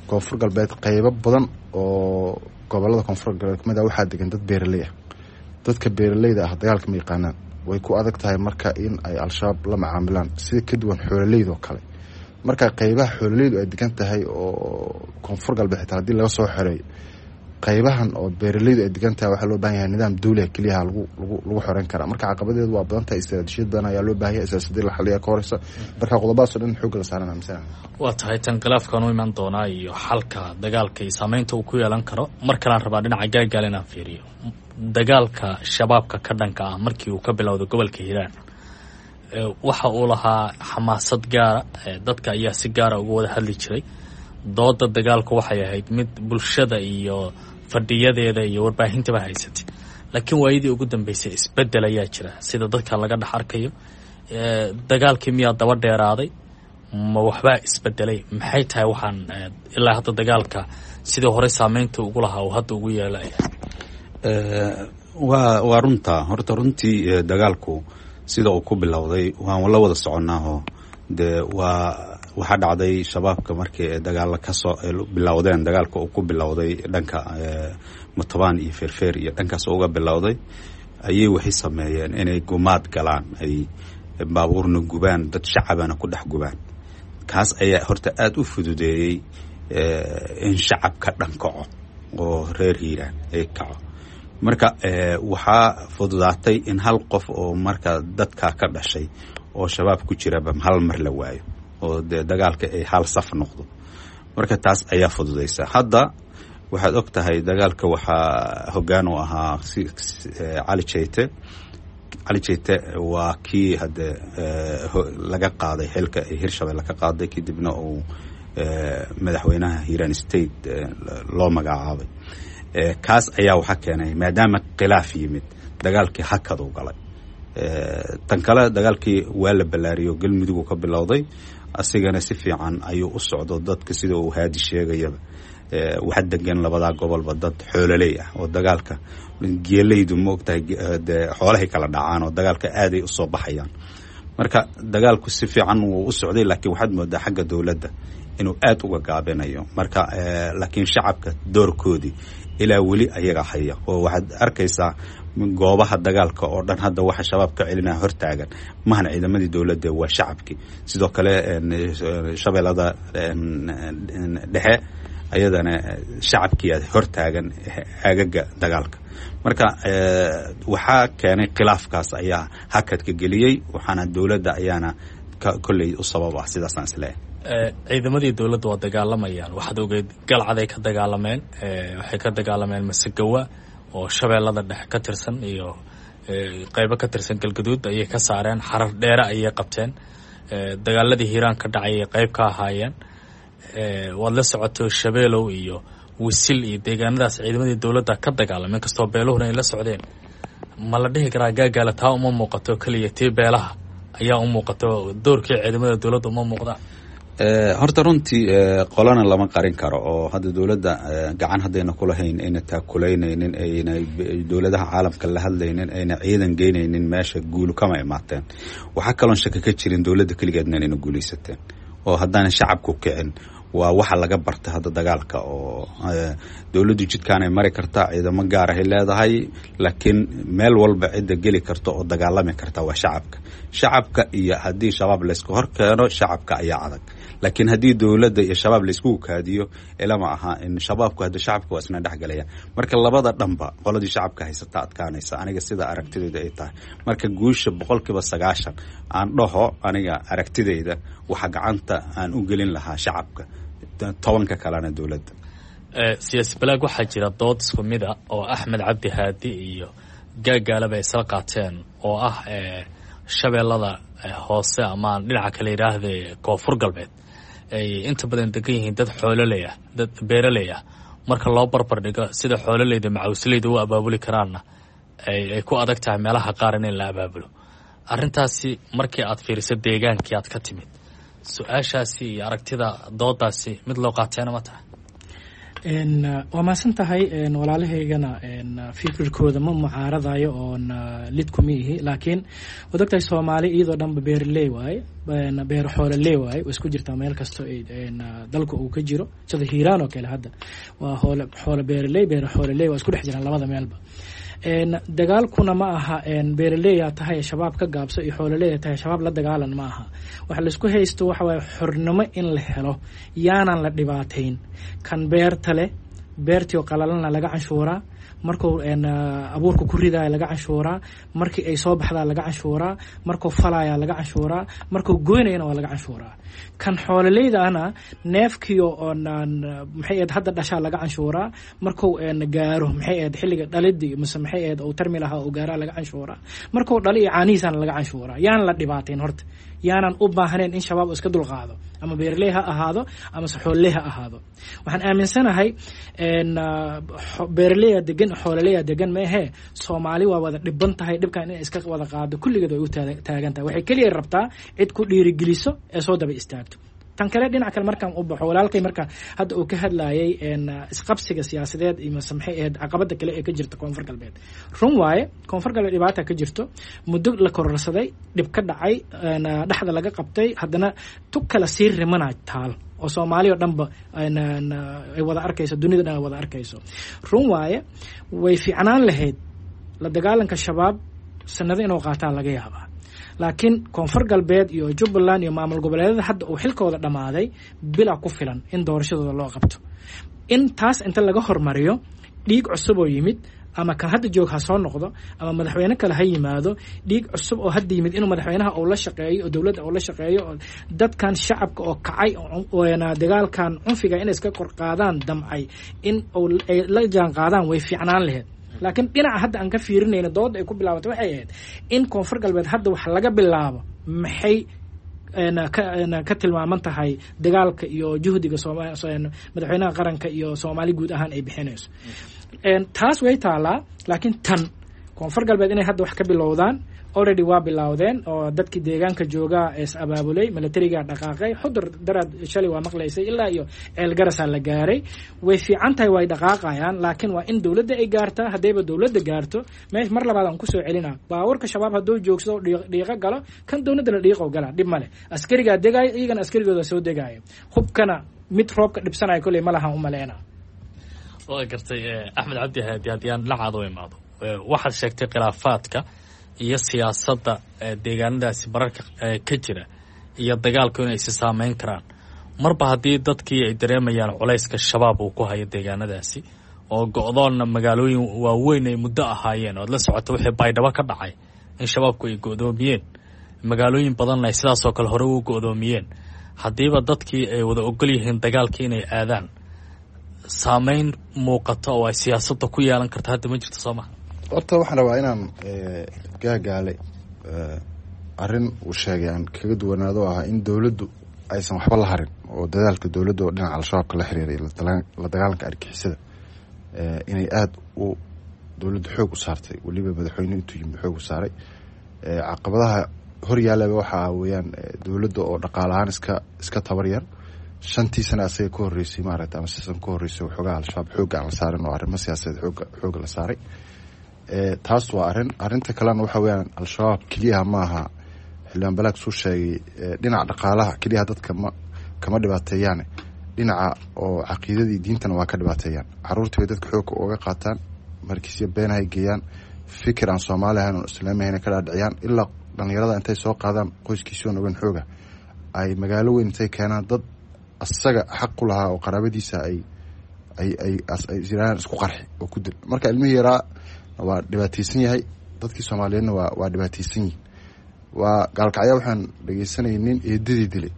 Koonfur Galbeed qeybo badan oo gobolada Koonfur Galbeed kamid ah waxaa degan dad beeraley ah. Dadka beeraleyda ah dagaalka ma yaqaanaan, way ku adag tahay marka in ay Al-Shabaab la macaamilaan sida ka duwan xoololeyda oo kale. Marka qeybaha xoololeydu ay degan tahay oo Koonfur Galbeed xitaa haddii laga soo xoreeyo, qaybahan oo beeraleydu ay degan tahay waxaa loo baahan yahay nidaam dawliga keliyaha lagu xoreyn karaa. Marka caqabadeedu waa badan tahay, istaraatiijiyad badan ayaa loo baahan yahay, siyaasadii la xaliyaa ka horeysa. Marka qodobadaas oo dhan xoogga la saaran aaminsanaa. Waa tahay, tan khilaafkan u iman doonaa iyo xalka dagaalka iyo saameynta uu ku yeelan karo. Mar kalaan rabaa dhinaca Gaagaal inaan fiiriyo. Dagaalka Shabaabka ka dhanka ah markii uu ka bilowday gobolka Hiiraan waxa uu lahaa xamaasad gaara, dadka ayaa si gaara uga wada hadli jiray. Dooda dagaalku waxay ahayd mid bulshada iyo fadhiyadeeda iyo warbaahintaba haysatay. Laakiin waayadii ugu dambeysay isbedel ayaa jira, sida dadka laga dhex arkayo Dagaalkii miyaa daba dheeraaday? Ma waxbaa isbedelay? Maxay tahay waxaan ilaa hadda dagaalka sidii horey saameynta ugu lahaa uu hadda ugu yeelaya? Waa runta. Horta runtii dagaalku sida uu ku bilowday waan la wada soconaaho. Dee waa waxaa dhacday shabaabka markii ay dagaala kasoo bilowdeen, dagaalka uu ku bilowday dhanka Matabaan iyo Feerfeer iyo dhankaas uga bilowday, ayay waxay sameeyeen inay gumaad galaan, ay baabuurna gubaan, dad shacabana ku dhex gubaan. Kaas ayaa horta aada u fududeeyey in shacabka dhan kaco oo reer Hiiraan ay kaco. Marka waxaa fududaatay in hal qof oo marka dadkaa ka dhashay oo shabaab ku jiraba hal mar la waayo, oo dee dagaalka ay hal saf noqdo. Marka taas ayaa fududaysa. Hadda waxaad og tahay dagaalka waxaa hoggaan u ahaa Cali Jeyte. Cali Jeyte waa kii hadde laga qaaday xilka ay Hirshabelle ka qaaday, kadibna uu madaxweynaha Hiiraan State loo magacaabay. Kaas ayaa waxaa keenay maadaama khilaaf yimid, dagaalkii hakaduu galay. Tan kale, dagaalkii waa la ballaariyo, Galmudug ka bilowday, asigana si fiican ayuu u socdo. Dadka sida uu Haadi sheegayaba, waxa degan labadaa gobolba dad xoololey ah oo dagaalka geelaydu ma ogtahay, dee xoolahay kala dhacaan oo dagaalka aaday usoo baxayaan. Marka dagaalku si fiican wuu u socday, laakiin waxaad moodaa xagga dowladda inuu aada uga gaabinayo. Marka laakiin shacabka doorkoodii ilaa weli ayaga haya, oo waxaad arkaysaa goobaha dagaalka oo dhan hadda waxa shabaab ka celinaya hortaagan mahan ciidamadii dowladda, waa shacabkii. Sidoo kale Shabeellada Dhexe ayadana shacabkiiaa hortaagan aagaga dagaalka. Marka waxaa keenay khilaafkaas ayaa hakadka geliyey, waxaana dowladda ayaana kolley u sabab ah, sidaasaan isleeyahay. Ciidamadii dowladda waa dagaalamayaan. Waxaad ogeyd Galcaday ka dagaalameen, waxay ka dagaalameen Masegawa oo Shabeellada Dhexe ka tirsan iyo qeybo ka tirsan Galgaduud ayay ka saareen, Xarar Dheere ayay qabteen, dagaaladii Hiiraan ka dhacay ayay qeyb ka ahaayeen. Waad la socoto Shabeelow iyo Wisil iyo deegaanadaas ciidamadii dowladda ka dagaalameen, inkastoo beeluhuna ay la socdeen. Ma la dhihi karaa Gaagaala taa uma muuqato, keliya tii beelaha ayaa u muuqato, doorkii ciidamada dowladda uma muuqdaan? Horta runtii qolana lama qarin karo, oo hadda dowladda gacan haddayna kulahayn, ayna taakulaynaynin, ayna dowladaha caalamka la hadlaynin, ayna ciidan geynaynin meesha, guulu kama imaateen. Waxaa kaloon shaka ka jirin dowladda keligeedna inayna guulaysateen oo haddaana shacabku kicin. Waa waxa laga bartay hadda dagaalka, oo dowladdu jidkaanay mari kartaa, ciidamo gaar ahay leedahay, laakiin meel walba cidda geli karta oo dagaalami karta waa shacabka. Shacabka iyo haddii shabaab laysku hor keeno, shacabka ayaa adag, laakiin haddii dowladda iyo shabaab layskugu kaadiyo, ilama aha in shabaabku hadda shacabka waa isna dhexgalaya. Marka labada dhanba qoladii shacabka haysata adkaanaysa, aniga sida aragtidayda ay tahay. Marka guusha 90% aan dhaho, aniga aragtidayda waxa gacanta aan u gelin lahaa shacabka, 10ka kalena dowladda. Siyaasi Balaag, waxaa jira dood isku mid a oo Axmed Cabdi Haadi iyo Gaagaalaba ay isla qaateen, oo ah Shabeellada Hoose ama dhinaca kale yidhaahde Koonfur Galbeed ay inta badan degan yihiin dad xoololey ah, dad beeraley ah. Marka loo barbar dhigo sida xoololeyda macawsleyda u abaabuli karaanna, ay ku adag tahay meelaha qaar in la abaabulo. Arrintaasi markii aad fiiriso deegaankii aad ka timid, su-aashaasi iyo aragtida doodaasi mid loo qaateena ma tahay? Waa mahadsan tahay. Walaalahaygana fikirkooda ma mucaaradayo oon lid kuma ihi, laakiin waad ogtahay Soomaali iyadoo dhanba beeraley waaye, beer xoololey waaye, way isku jirtaa meel kasto dalka uu ka jiro. Sida Hiiraan oo kale hadda waa hoole xoolo beeraley, beer xoololey waa isku dhex jiraan labada meelba. Dagaalkuna ma aha beeraleyaa tahay shabaab ka gaabso iyo xoololeya tahay shabaab la dagaalan, ma aha. Waxa laisku haysto waxa waaye xornimo in la helo, yaanan la dhibaatayn. Kan beerta leh, beertii oo qalalana laga canshuuraa, markuu abuurka ku ridaya laga canshuuraa, markii ay soo baxdaa laga canshuuraa, markuu falaya laga canshuuraa, markuu goynayana waa laga canshuuraa. Kan xoololeyda ana neefkiio oon maxay ahayd hadda dhashaa laga canshuuraa, markuu gaaro maxay ahayd xilliga dhalidii mise maxay ahayd uu tarmi lahaa uu gaaraa laga canshuuraa, markuu dhali iyo caanihiisana laga canshuuraa. Yaan la dhibaatayn horta, Yaanan u baahnayn in Shabaab uu iska dulqaado, ama beerley ha ahaado ama saxooley ha ahaado. Waxaan aaminsanahay beeraleya degan, xoolaleya degan maahee, Soomaali waa wada dhiban tahay. Dhibkan inay iska wada qaado kulligeed way u taagan tahay. Waxay keliya rabtaa cid ku dhiirigeliso ee soo daba istaagto. Tan kale, dhinac kale markaan u baxo, walaalkay marka hadda uu ka hadlayay isqabsiga siyaasadeed iyo mase maxay ahayd caqabada kale ee ka jirta Koonfur Galbeed, run waaye, Koonfur Galbeed dhibaata ka jirto, muddo la kororsaday, dhib ka dhacay, dhexda laga qabtay, haddana tug kala sii rimana taal oo Soomaali oo dhanba ay wada arkayso, dunida dhan ay wada arkayso. Run waaye, way fiicnaan lahayd la dagaalanka Shabaab sanado inuu qaataa laga yaabaa, laakiin Koonfur Galbeed iyo Jubbaland iyo maamul goboleedyada hadda uu xilkooda dhammaaday bila ku filan in doorashadooda loo qabto. In taas inta laga hormariyo dhiig cusub oo yimid, ama kan hadda joog ha soo noqdo ama madaxweyne kale ha yimaado, dhiig cusub oo hadda yimid inuu madaxweynaha uu la shaqeeyo oo dowladda uu la shaqeeyo oo dadkan shacabka oo kacay dagaalkan cunfiga inay iska kor qaadaan damcay in ay la jaan qaadaan way fiicnaan lahayd. Laakiin dhinaca hadda aan ka fiirinayna dooda ay ku bilaabatay waxay ahayd in Koonfur Galbeed hadda wax laga bilaabo, maxay ka tilmaaman tahay dagaalka iyo juhdiga madaxweynaha qaranka iyo Soomaali guud ahaan ay bixinayso. Taas way taalaa, laakiin tan Koonfur Galbeed inay hadda wax ka bilowdaan, already waa bilowdeen oo dadkii deegaanka joogaa is abaabulay, militarigaa dhaqaaqay, Xudur daraad shalay waa maqlaysay, ilaa iyo Ceelgarasaa la gaaray. Way fiican tahay, way dhaqaaqayaan, laakiin waa in dowladda ay gaartaa. Haddayba dowladda gaarto meesh, mar labaad aan kusoo celinaa, baabuurka Shabaab hadduu joogsado dhiiqo galo, kan dowladdana dhiiqo gala, dhib male. Askarigaa degaayo, iyagana askarigooda soo degaayo, hubkana mid roobka dhibsanaya kolley ma lahan u maleyna. Waa gartay. Axmed Cabdi Haadi, haddii aan dhinacaada u imaado, waxaad sheegtay khilaafaadka iyo siyaasadda deegaanadaasi bararka ka jira iyo dagaalku inay isi saameyn karaan. Marba haddii dadkii ay dareemayaan culayska Shabaab uu ku hayo deegaanadaasi oo go-doonna magaalooyin waaweyn ay muddo ahaayeen, oad la socoto wixii Baydhabo ka dhacay in Shabaabku ay go-doomiyeen magaalooyin badanna ay sidaasoo kale hore u go-doomiyeen, haddiiba dadkii ay wada ogol yihiin dagaalkii inay aadaan, saameyn muuqata oo ay siyaasadda ku yeelan karto hadda ma jirto, soo maha? Horta waxaan rabaa inaan Gaagaale arrin uu sheegay aan kaga duwanaado, ah in dowladdu aysan waxba la harin oo dadaalka dowladda oo dhinaca Al-Shabaabka la xiriiray, la dagaalanka argixisada, inay aada u dowladdu xoog u saartay, weliba madaxweyne intuu yimid xoog u saaray. Caqabadaha hor yaalaba waxaa weeyaan dowladda oo dhaqaale ahaan iska tabar yar. 5-tii sana asaga ka horreysay maaragta ama sisan ka horreysay, waxoogaa Al-Shabaab xoogga aan la saarin oo arrimo siyaasadeed xoogga la saaray. Taas waa arrin. Arrinta kalena waxa weeyaan, Al-Shabaab keliyaha ma aha. Xildhibaan Balaag suu sheegay, dhinaca dhaqaalaha keliyaha dadka ma kama dhibaateeyaane, dhinaca oo caqiidadii diintana waa ka dhibaateeyaan. Caruurtii bay dadka xoogga uga qaataan, markiisyo beenahay geeyaan, fikir aan Soomaali ahayn oon islaami ahayn ka dhaadhiciyaan, ilaa dhalinyarada intay soo qaadaan qoyskiisii oon ogeyn xooga ay magaalo weyn intay keenaan, dad asaga xaq ku lahaa oo qaraabadiisa ay jiraan isku qarxi oo ku dil. Marka ilmihii yaraa waa dhibaateysan yahay, dadkii Soomaaliyeedna waa dhibaateysan yihin. Waa Gaalkacya, waxaan dhegeysanayay nin eedadii dilay,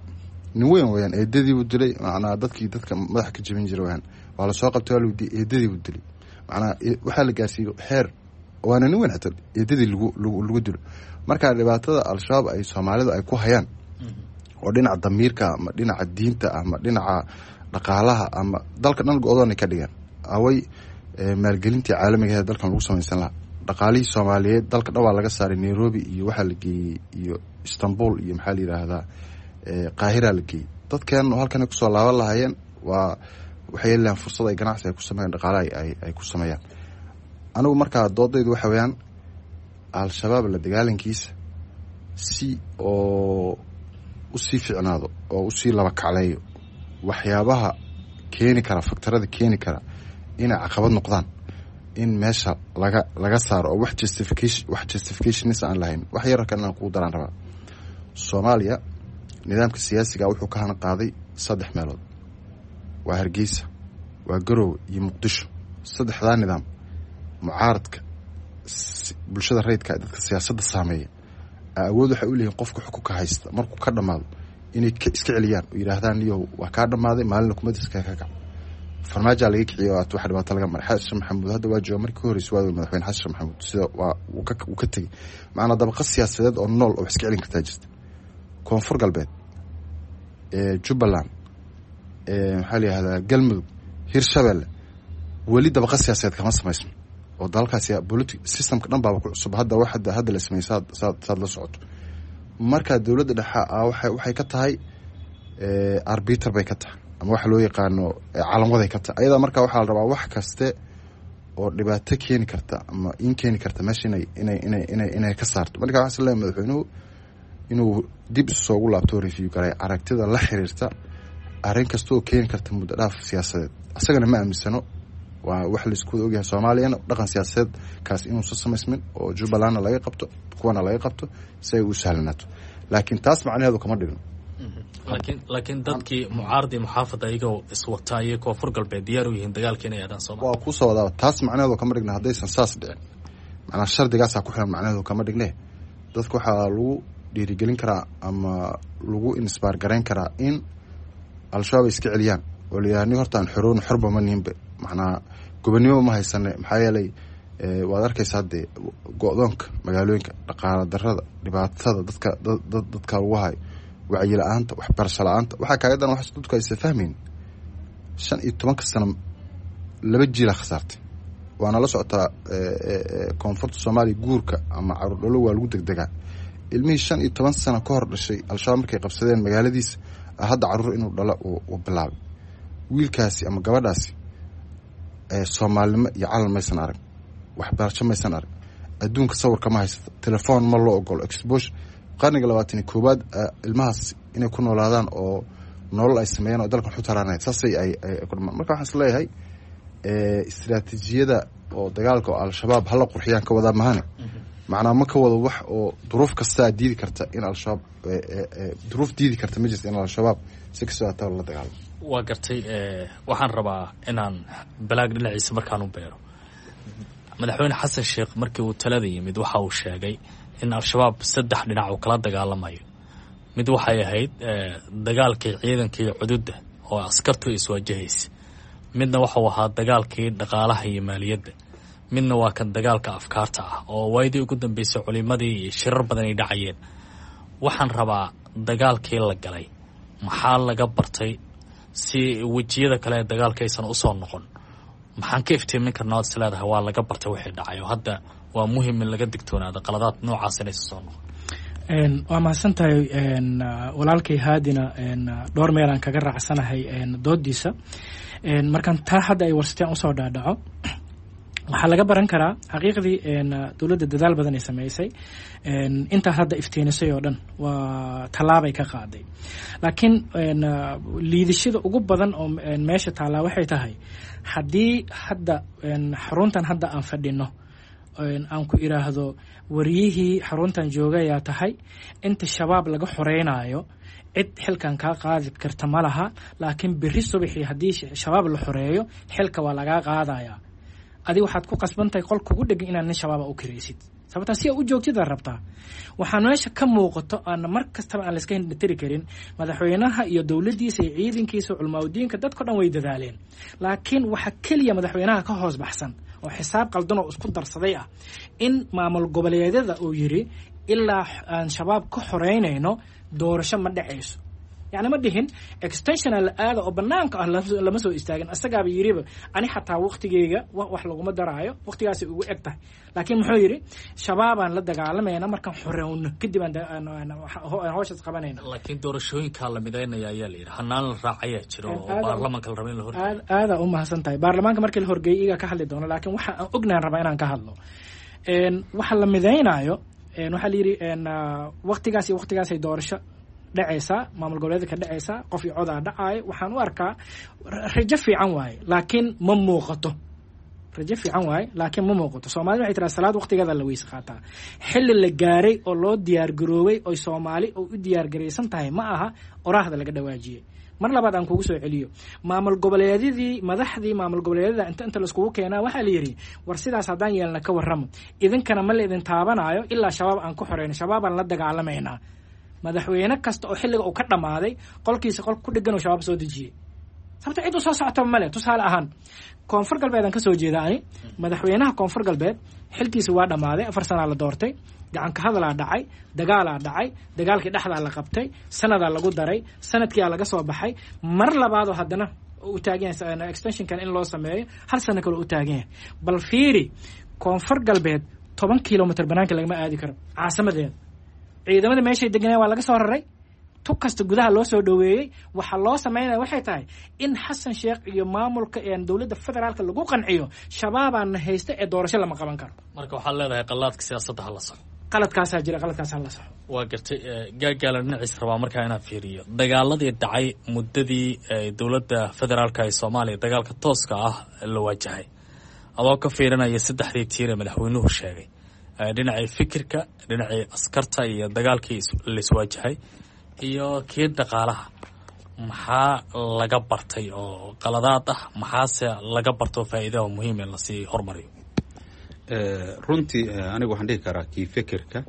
nin weyn weyaan, eedadii buu dilay. Macnaa dadkii dadka madaxa ka jebin jiray weyaan. Waa lasoo qabtay, waa la weydiiyey, eedadii buu dilay. Macnaa waxaa la gaarsiiyey xeer, waana nin weyn, xitaa eedadii lagu dilo. Marka dhibaatada Al-Shabaab ay Soomaalidu ay ku hayaan oo dhinaca damiirka ama dhinaca diinta ama dhinaca dhaqaalaha ama dalka dhan go-doonay ka dhigeen. Away maalgelintii caalamiga ee dalkan lagu samaysan lahaa? Dhaqaalihii Soomaaliyeed dalka dhan waa laga saaray. Nairobi iyo waxaa la geeyey iyo Istanbul iyo maxaa la yidhaahdaa Qaahira la geeyey. Dadkeen halkan kusoo laaban lahaayeen waa waxay heli lahayn fursad ay ganacsi ay ku sameeyaan, dhaqaale ay ku sameeyaan. Anigu markaa doodaydu waxa weeyaan, Al-Shabaab la dagaalankiisa si oo usii ficnaado oo usii laba kacleeyo, waxyaabaha keeni kara, faktarada keeni kara inay caqabad noqdaan in meesha laga saaro oo wax justifications aan lahayn. Wax yar kan aan kugu daraan rabaa. Soomaaliya nidaamka siyaasiga wuxuu ka hana qaaday saddex meelood: waa Hargeysa, waa Garowe iyo Muqdisho. Saddexdaa nidaam mucaaradka, bulshada rayidka, dadka siyaasadda saameeya awood waxay u leeyihin qofka xukunka haysta markuu ka dhammaado inay iska celiyaan oo yidhaahdaan, "Niyow, waa kaa dhammaaday, maalina kumadiska ka kac." Farmaajaa laga kiciyay oo wax dhibaato laga maray. Xasan Maxamuud hadda waa jooga, markii ka horreysay waa madaxweyne Xasan Maxamuud sida waa uu ka tegey. Macnaa dabaqa siyaasadeed oo nool oo wax iska celin kartaa jirta. Koonfur Galbeed, Jubbaland, maxaa la yihahdaa, Galmudug, Hirshabelle, weli dabaqa siyaasadeed kama samaysmo oo dalalkaas politi systemka dhan baaba ku cusub. Hadda wax hadda la sameeyey saad la socoto. Marka dowladda dhexe waxay ka tahay arbiter bay ka tahay, ama waxa loo yaqaano calamwaday ka tahay ayadaa. Marka waxaa la rabaa wax kaste oo dhibaato keeni karta ama in keeni karta meesha inay ka saarto. Marka waxaa isleeyahay madaxweynuhu inuu dib isu soogu laabto, review garay aragtida la xiriirta arrin kasta oo keeni karta muddo dhaaf siyaasadeed. Asagana ma aaminsano, waa wax laisku wada ogyahay Soomaaliyana dhaqan siyaasadeed kaas inuusan samaysmin oo Jubbalandna laga qabto, kuwana laga qabto si ay u sahlanaato, laakiin taas macnaheedu kama dhigno. Laakiin dadkii mucaaradii muxaafadda iyagoo iswataa iyo Koonfur Galbeed diyaar u yihiin dagaalka inay aadaan Sooma. Waa kusoo wadaaba, taas macnaheedu kama dhigna haddaysan saas dhicin, macnaa shardigaasaa ku xiran macnaheedu kama dhigne. Dadka waxaa lagu dhiirigelin karaa ama lagu inspire garayn karaa in Al-Shabaab ay iska celiyaan oo la yidhaha ni horta aan xoroon, xorba ma nihinba, macnaa gobonimo ma haysane. Maxaa yeelay waad arkaysaa dee go-doonka magaalooyinka, dhaqaala darada, dhibaatada dadka lagu hayo, wacyi la-aanta, waxbarasho la-aanta. Waxaa kaaga daran wax dadku aysan fahmayn, 15-ka sano laba jiilaa khasaartay. Waana la socotaa koonfurta Soomaaliya guurka ama caruur dhalo waa lagu degdegaa. Ilmihii 15 sano ka hor dhashay Al-Shabaab markay qabsadeen magaaladiisa, hadda caruur inuu dhalo uu bilaabay wiilkaasi ama gabadhaasi, soomaalinimo iyo calal maysan arag, waxbarasho maysan arag, adduunka sawirka ma haysata, telefoon ma loo ogolo, exposure qarniga 21aad ilmahaas inay ku noolaadaan oo nolol ay sameeyaan oo dalkan xutaraanay saasay ay ku dhamaan. Marka waxaan is leeyahay istiraatiijiyada oo dagaalka oo Al-Shabaab hala qurxiyaan ka wadaa mahane, macnaa ma ka wado wax oo duruuf kastaa diidi karta in Al-Shabaab, duruuf diidi karta ma jirta in Al-Shabaab si kastoo hataa la dagaalamo. Waa gartay. Waxaan rabaa inaan Balaag dhinaciisa markaan u beero. Madaxweyne Xasan Sheekh markii uu talada yimid waxa uu sheegay in Al-Shabaab saddex dhinac uu kala dagaalamayo. Mid waxay ahayd dagaalkii ciidanka iyo cududda oo askartu iswajahaysa, midna waxau ahaa dagaalkii dhaqaalaha iyo maaliyadda, midna waa kan dagaalka afkaarta ah oo waayadii ugu dambeysay culimadii iyo shirar badan ay dhacayeen. Waxaan rabaa dagaalkii la galay maxaa laga bartay si wejiyada kale ee dagaalka aysan usoo noqon? Maxaan ka iftiimin karnaa ood is leedahay waa laga bartay wixii dhacay oo hadda waa muhim in laga digtoonaado qaladaad noocaas inaysan soo noqon? Waa mahadsan tahay walaalkay Haadina. Dhowr meelaan kaga raacsanahay doodiisa. Markaan taa hadda ay warsateen usoo dhaadhaco, waxaa laga baran karaa xaqiiqdii dowladda dadaal badan ay sameysay, intaa hadda iftiinisay oo dhan waa tallaabay ka qaaday, laakiin liidashada ugu badan oo meesha taallaa waxay tahay haddii hadda xaruntan hadda aan fadhino aan ku iraahdo wariyihii xaruntan joogayaa tahay, inta Shabaab laga xoreynaayo cid xilkan kaa qaadi karta ma laha, laakiin berri subaxii haddii Shabaab la xoreeyo xilka waa lagaa qaadayaa, adi waxaad ku qasban tahay qol kugu dhegan inaad nin Shabaaba u kiraysid, sababtaa si aa u joogtid aad rabtaa. Waxaa meesha ka muuqato aana mar kastaba aan layska hindhatiri karin, madaxweynaha iyo dowladdiisa iyo ciidankiisa, culmaaudiinka, dadko dhan way dadaaleen, laakiin waxa keliya madaxweynaha ka hoos baxsan oo xisaab qaldan oo isku darsaday ah in maamul goboleedyada uu yidhi ilaa aan Shabaab ka xoreynayno doorasho ma dhacayso. Yacni ma dhihin extensiona la aada oo banaanka ah lama soo istaagin, asagaaba yiriba ani xataa waqtigeyga wax laguma daraayo, waqtigaasay ugu eg tahay, laakiin muxuu yidhi Shabaabaan la dagaalamayna markaan xoreyno kadib aan hawshaas qabanayna. Laakiin doorashooyinkaa la midaynaya ayaa la yidhi, hanaan la raacayaa jiro oo baarlamaanka la raba in la horgeeyo. Aadaa u mahadsan tahay. Baarlamaanka markii la horgeeyay iyagaa ka hadli doono, laakiin waxa aan ognahan rabaa inaan ka hadlo waxa la midaynaayo. Waxaa la yidhi waqtigaas iyo waqtigaasay doorasho dhacaysaa, maamul goboleedka ka dhacaysaa, qof iyo codaa dhacaayo. Waxaan u arkaa rajo fiican waaye, laakiin ma muuqato. Rajo fiican waaye, laakiin ma muuqato. Soomaalida waxay tiraa salaad waqtigeeda la weyse qaataa. Xilli la gaaray oo loo diyaar garoobay oy Soomaali oo u diyaar garaysan tahay ma aha oraahda laga dhawaajiyey. Mar labaad aan kugu soo celiyo, maamul goboleedyadii, madaxdii maamul goboleedyada inta laiskugu keenaa waxaa la yidhi war sidaas haddaan yeelna ka warramo, idinkana ma la idin taabanaayo ilaa Shabaab aan ku xoreyno, Shabaabaan la dagaalamaynaa. Madaxweyne kasta oo xilliga uu ka dhammaaday qolkiisa qol ku dhegan oo Shabaab soo dejiyey. Sababta cid u soo socota male. Tusaale ahaan, Koonfur Galbeed aan kasoo jeeda ani. Madaxweynaha Koonfur Galbeed xilkiisa waa dhammaaday, 4 sanaa la doortay. Gacanka hadalaa dhacay, dagaalaa dhacay, dagaalkii dhexdaa la qabtay, sanadaa lagu daray, sanadkiyaa laga soo baxay. Mar labaadoo haddana u taagan yahay extensionkan in loo sameeyo, hal sano kale u taagan yahay. Bal fiiri, Koonfur Galbeed 10 kilomitr banaanka lagama aadi karo caasimadeeda. Ciidamada meeshay deganeen waa laga soo raray, tug kasta gudaha loo soo dhoweeyey. Waxaa loo sameynaya waxay tahay in Xasan Sheekh iyo maamulka dowladda federaalka lagu qanciyo Shabaabaana haysta ee doorasho lama qaban karo. Marka waxaad leedahay qalaadka siyaasadda hala saxo. Qaladkaasaa jira, qaladkaasaa la saxo. Waa gartay. Gaagaala dhinaciis rabaa markaa inaan fiiriyo dagaaladii dhacay muddadii dowladda federaalka ee Soomaaliya dagaalka tooska ah la waajahay, adoo ka fiirinaya saddexdii tiir ee madaxweynuhu sheegay, dhinacii fikirka, dhinacii askarta iyo dagaalkii laiswaajahay iyo kii dhaqaalaha, maxaa laga bartay oo qaladaad ah, maxaase laga bartoo faa'iidaha muhiim in lasii hormariyo? Runtii anigu waxaan dhihi karaa kii fikirka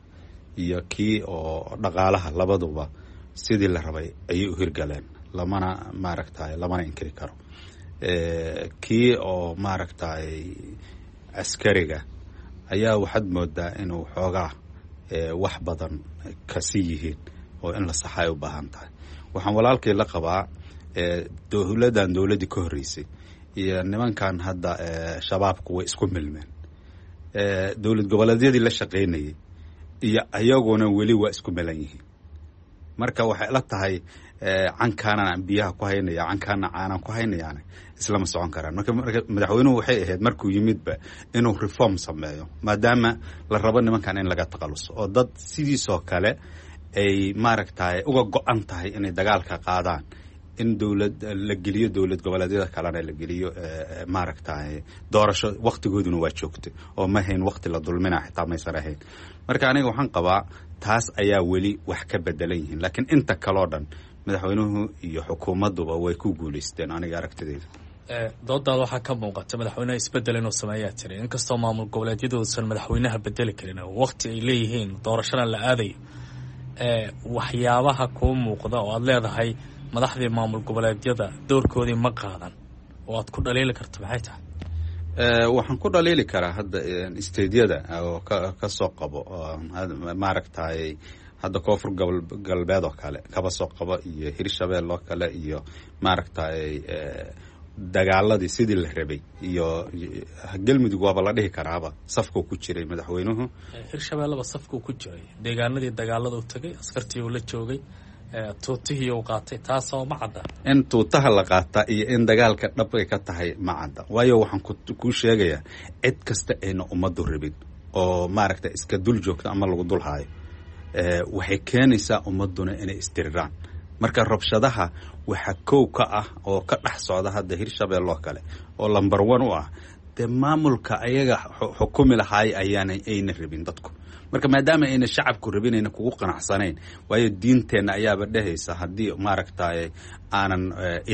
iyo kii oo dhaqaalaha labaduba sidii la rabay ayay u hirgaleen, lamana maaragtay lamana inkiri karo. Kii oo maaragtay askariga ayaa waxaad moodaa inuu xoogaa wax badan kasi yihiin oo in la saxa ay u baahan tahay. Waxaan walaalkay la qabaa, dowladdan dowladdii ka horreysay iyo nimankan hadda Shabaabku way isku milmeen. Dowlad goboleedyadii la shaqaynayay iyo ayaguna weli waa isku milan yihiin. Marka waxay la tahay cankaanaan biyaha ku haynaya, cankaana caanaan ku haynayaana islama socon karaan. Marka madaxweynuhu waxay ahayd markuu yimidba inuu reform sameeyo, maadaama la rabo nimankan in laga takhaluso oo dad sidiisoo kale ay maaragtay uga go-an tahay inay dagaalka qaadaan, in dowlad la geliyo, dowlad goboleedyada kalena la geliyo maaragtay doorasho. Waktigooduna waa joogtay oo ma hayn wakti la dulmina xitaa maysan ahayn. Marka aniga waxaan qabaa taas ayaa weli wax ka bedelan yihiin, laakiin inta kaloo dhan madaxweynuhu iyo xukuumadduba way ku guulaysteen aniga aragtidayda. Doodaada waxaa ka muuqata madaxweynaha isbedel inuu sameeyaa tiri, inkastoo maamul goboleedyadu uusan madaxweynaha bedeli karin oo waqti ay leeyihiin doorashana la aadayo. Waxyaabaha kuu muuqda oo aada leedahay madaxdii maamul goboleedyada doorkoodii ma qaadan oo aad ku dhaliili karto maxay tahay? Waxaan ku dhaliili karaa hadda stadeyada oo ka soo qabo maaragtay hadda Koonfur Galbeed oo kale kaba soo qabo iyo Hirshabeel oo kale iyo maaragtay dagaaladii sidii la rabay iyo Galmudug waaba la dhihi karaaba safkuu ku jiray madaxweynuhu. Hirshabeelleba safkuu ku jiray, deegaanadii dagaalada u tagay, askartii uu la joogay, tuutihii uu qaatay, taasoo ma cadda. In tuutaha la qaata iyo in dagaalka dhab ay ka tahay ma cadda, waayo waxaan kuu sheegayaa cid kasta ayna ummaddu rabin oo maaragta iska dul joogto ama lagu dul haayo, waxay keenaysaa ummadduna inay isdiriraan. Marka rabshadaha waxa kow ka ah oo ka dhex socda hadda Hirshabelle oo kale oo number one u ah dee maamulka ayaga xukumi lahaay ayaana ayna rabin dadku. Marka maadaama ayna shacabku rabin, ayna kugu qanacsanayn, waayo diinteenna ayaaba dhehaysa haddii maaragtay aanan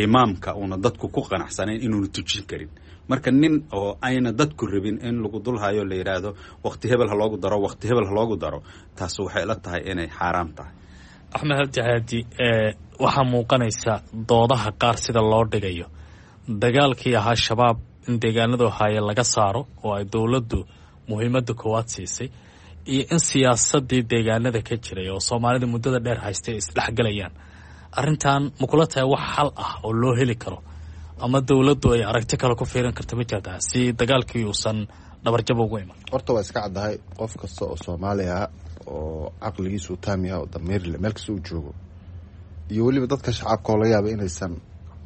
imaamka uuna dadku ku qanacsanayn inuuna tujin karin. Marka nin oo ayna dadku rabin in lagu dul hayo la yidhaahdo waqti hebel ha loogu daro, waqti hebel ha loogu daro, taas waxay la tahay inay xaaraam tahay. Axmed Cabdi Haadi, waxaa muuqanaysa doodaha qaar sida loo dhigayo dagaalkii ahaa Shabaab in deegaanadu haaye laga saaro oo ay dowladdu muhiimadda koowaad siisay iyo in siyaasadii deegaanada ka jiray oo Soomaalida muddada dheer haystay isdhexgalayaan. Arrintan ma kula tahay wax xal ah oo loo heli karo ama dowladdu ay aragti kale ku fiirin karta ma jirtaa si dagaalkii uusan dhabarjab ugu iman? Horta waa iska caddahay, qof kasta oo Soomaali ah oo caqligiisu taam yahay oo damiir leh meel kasta uu joogo, iyo weliba dadka shacabka oo laga yaaba inaysan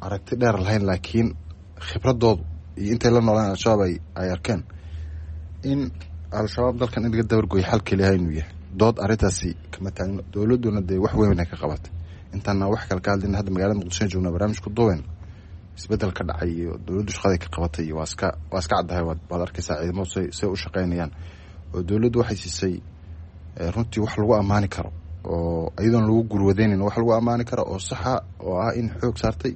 aragti dheer lahayn, laakiin khibradoodu iyo intay la noolaan Al-Shabaab ay arkeen in Al-Shabaab dalkan in laga dabargoyo xal keliyaha inuu yahay, dood arrintaasi kama taagno. Dowladduna dee wax weyn ka qabatay. Intaana wax kale ka hadlin, hadda magaalada Muqdisho joogna barnaamij ku duuben, isbedel ka dhacay iyo dowladdu shaqaday ka qabatay iyo waa iska caddahay. Waad arkaysaa ciidamadu say u shaqaynayaan oo dowladdu waxay siisay runtii wax lagu ammaani karo oo iyadoon lagu gurwadeynin, wax lagu ammaani karo oo saxa oo ah in xoog saartay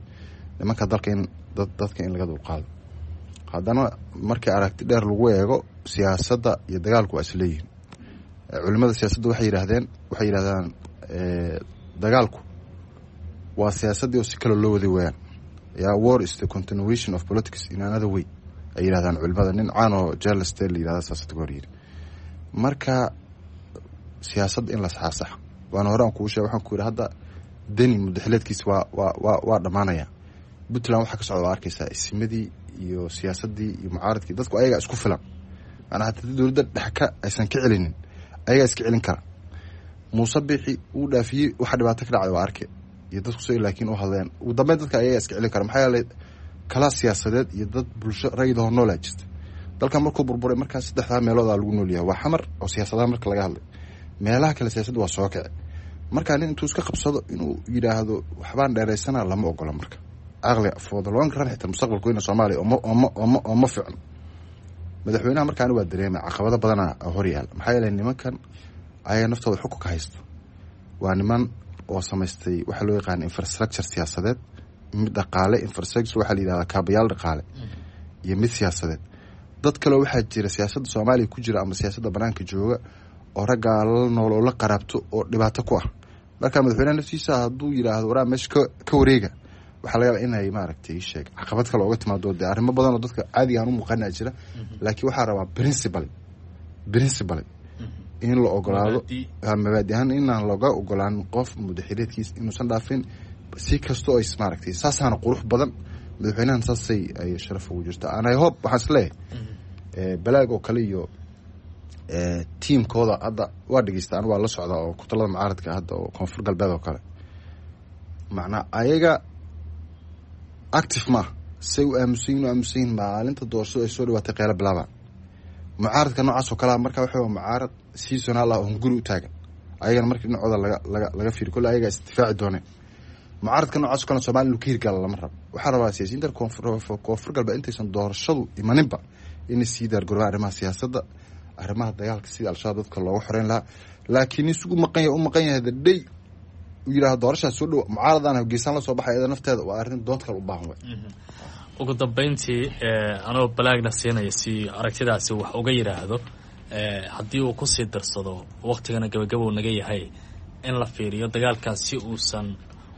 nimanka dalka in dadka in laga dulqaado. Haddana markii aragti dheer lagu eego, siyaasadda iyo dagaalku waa isleeyihin. Culimada siyaasadda waxay yidhaahdeen, waxay yidhahdaan dagaalku waa siyaasaddii oo si kale loo waday weeyaan. Yaa war is the continuation of politics in another way ay yidhahdaan culimada. Nin caan oo Charles Taylor yidhahda saasad hor yidhi. Marka siyaasadda in la saxaasaxo waana hore aan kuu sheegay, waxaan ku yidhi hadda Deni mudaxileedkiisa waa dhammaanaya. Puntland waxaa ka socda waa arkaysaa, isimadii iyo siyaasaddii iyo mucaaradkii, dadku ayagaa isku filan. Macnaa hataa dowladda dhex ka aysan ka celinin, ayagaa iska celin kara. Muuse Biixi uu dhaafiyey, waxa dhibaato ka dhacday waa arke iyo dadku soo, laakiin u hadleen ugu dambeyn dadka ayagaa iska celin kara. Maxaa yeelay kala siyaasadeed iyo dad bulsho rayidahoo noolaa jirta. Dalkan markuu burburay markaa saddexdaa meeloodaa lagu noolyahay, waa Xamar oo siyaasadaha marka laga hadlay, meelaha kale siyaasadda waa soo kici. Marka nin intuu iska qabsado inuu yidhaahdo waxbaan dheeraysana lama ogola. Marka aqliga for the long run, xitaa mustaqbalka weyna Soomaaliya ooma fiicno. Madaxweynaha markaani waa dareemay caqabado badana hor yaal, maxaa yeelay nimankan ayaga naftooda xukunka haysto waa niman oo samaystay waxaa loo yaqaana infrastructure siyaasadeed, mid dhaqaale. Infrastructure waxaa la yidhahdaa kaabayaal dhaqaale iyo mid siyaasadeed. Dad kaleo waxaa jira siyaasadda Soomaaliya ku jira ama siyaasadda banaanka jooga oo raggaa la nool oo la qaraabto oo dhibaato ku ah. Marka madaxweynaha naftiisa hadduu yidhaahdo waraa meesha ka wareega, waxaa laga yaabaa inay maaragtay sheeg caqabad kale ooga timaado. Dee arrimo badan oo dadka caadiga aan u muuqanaa jira, laakiin waxaa rabaa principally in la ogolaado mabaadi ahaan inaan laga ogolaan qof mudaxileedkiis inuusan dhaafin si kastoo ay maaragtay. Saasaana qurux badan, madaxweynahan saasay ay sharaf ugu jirta. And I hope, waxaan isleeyahay Balaag oo kale iyo tiimkooda hadda waa dhegeysta, anu waa la socdaa oo kutalada mucaaradka hadda oo Koonfur Galbeed oo kale, macnaa ayaga active ma ah, say u aamusan yihin u aamusan yihin. Maalinta doorashadu ay soo dhawaatay qeylo bilaabaan. Mucaaradka noocaas oo kalea marka waxa mucaarad seasonal ah oo hunguri u taagan. Ayagana markii dhinacooda laga fiiri kolle ayagaa isdifaaci dooneen. Mucaaradka noocaas o kale Somalia inuu ka hirgala lama rabo. Waxaa rabaa siyaasiyiinta Koonfur Galbeed intaysan doorashadu imaninba inay sii diyaargaroobaan arrimaha siyaasadda, arrimaha dagaalka, sidii Al-Shabaab dadka looga xoreyn lahaa. Laakiin nin sugu maqan yahay u maqan yahay the day uu yidhahdo doorashaas soo dhow mucaaradaan geesaan la soo baxay, iyada nafteeda waa arrin dood kale u baahan way. Ugu dambeyntii, anoo Balaagna siinaya si aragtidaasi wax uga yidhaahdo, haddii uu kusii darsado, waktigana gabagabow naga yahay, in la fiiriyo dagaalkaas si uusan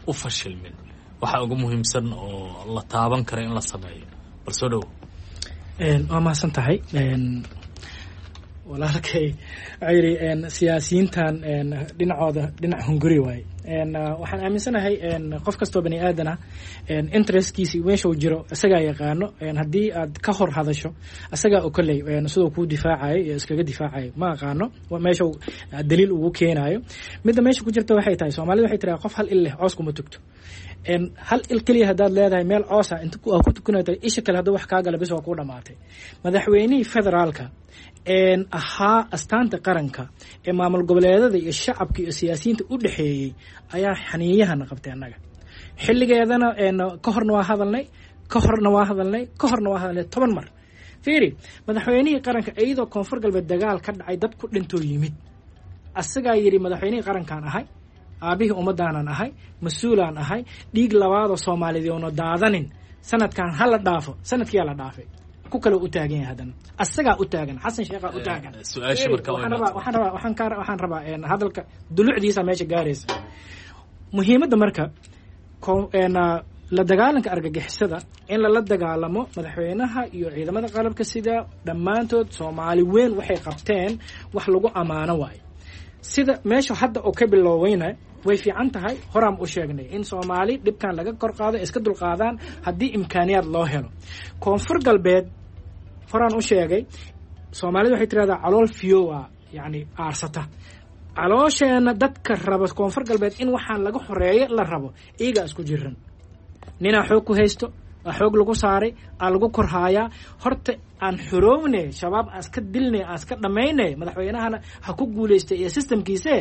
u fashilmin, waxa ugu muhiimsan oo la taaban karo in la sameeyo, bal soo dhowo. Waa mahadsan tahay walaalkay. Waxaa yidhi siyaasiyiintan dhinacooda dhinac hunguri waaye. Waxaan aaminsanahay qof kastoo bani aadan ah interestkiisa meesha uu jiro isagaa yaqaano. Haddii aad ka hor hadasho isagaa oo kolley siduu kuu difaacayo iyo iskaga difaacayo ma aqaano, meesha daliil ugu keenayo. Midda meesha ku jirta waxay tahay, Soomaalida waxay tiraa qof hal il leh coos kuma tugto. Hal il keliya haddaad leedahay meel coosa inta ku tukanayta, isha kale hadduu wax kaa gala bis waa kuu dhamaatay. Madaxweynihii federaalka ahaa astaanta qaranka ee maamul goboleedada iyo shacabka iyo siyaasiyiinta u dhexeeyey ayaa xaniiyahana qabtay. Annaga xilligeedana ka horna waa hadalnay, ka horna waa hadalnay, ka horna waa hadalnay 10 mar. Fiiri, madaxweynihii qaranka iyadoo Koonfur Galbeed dagaal ka dhacay, dad ku dhintoo yimid, asagaa yidhi madaxweynihii qarankaan ahay, aabihii ummadaanan ahay, mas-uulaan ahay, dhiig labaadoo Soomaaliyeed oona daadanin, sanadkan ha la dhaafo. Sanadkiyaa la dhaafay, ku kale u taagan yahay haddana asagaa u taagan, Xasan Sheekhaa u taagan. Waxaan rabaa hadalka dulucdiisa meesha gaaraysa muhiimadda. Marka la dagaalanka argagixisada in lala dagaalamo, madaxweynaha iyo ciidamada qalabka sida dhammaantood Soomaali weyn waxay qabteen wax lagu ammaano waayo. Sida meesha hadda oo ka bilooweyna way fiican tahay. Horaan u sheegnay in Soomaali dhibkan laga kor qaado, iska dulqaadaan haddii imkaaniyaad loo helo. Koonfur Galbeed horaan u sheegay, Soomaalida waxay tirahdaa calool fiyowa, yacni aarsata caloosheenna. Dadka raba Koonfur Galbeed in waxaan laga xoreeyo la rabo iyagaa isku jiran. Ninaa xoog ku haysto, aa xoog lagu saaray, aa lagu korhaayaa. Horta aan xoroowne, Shabaab aan iska dilnay, aan iska dhammaynay. Madaxweynahana ha ku guulaystay iyo systemkiise.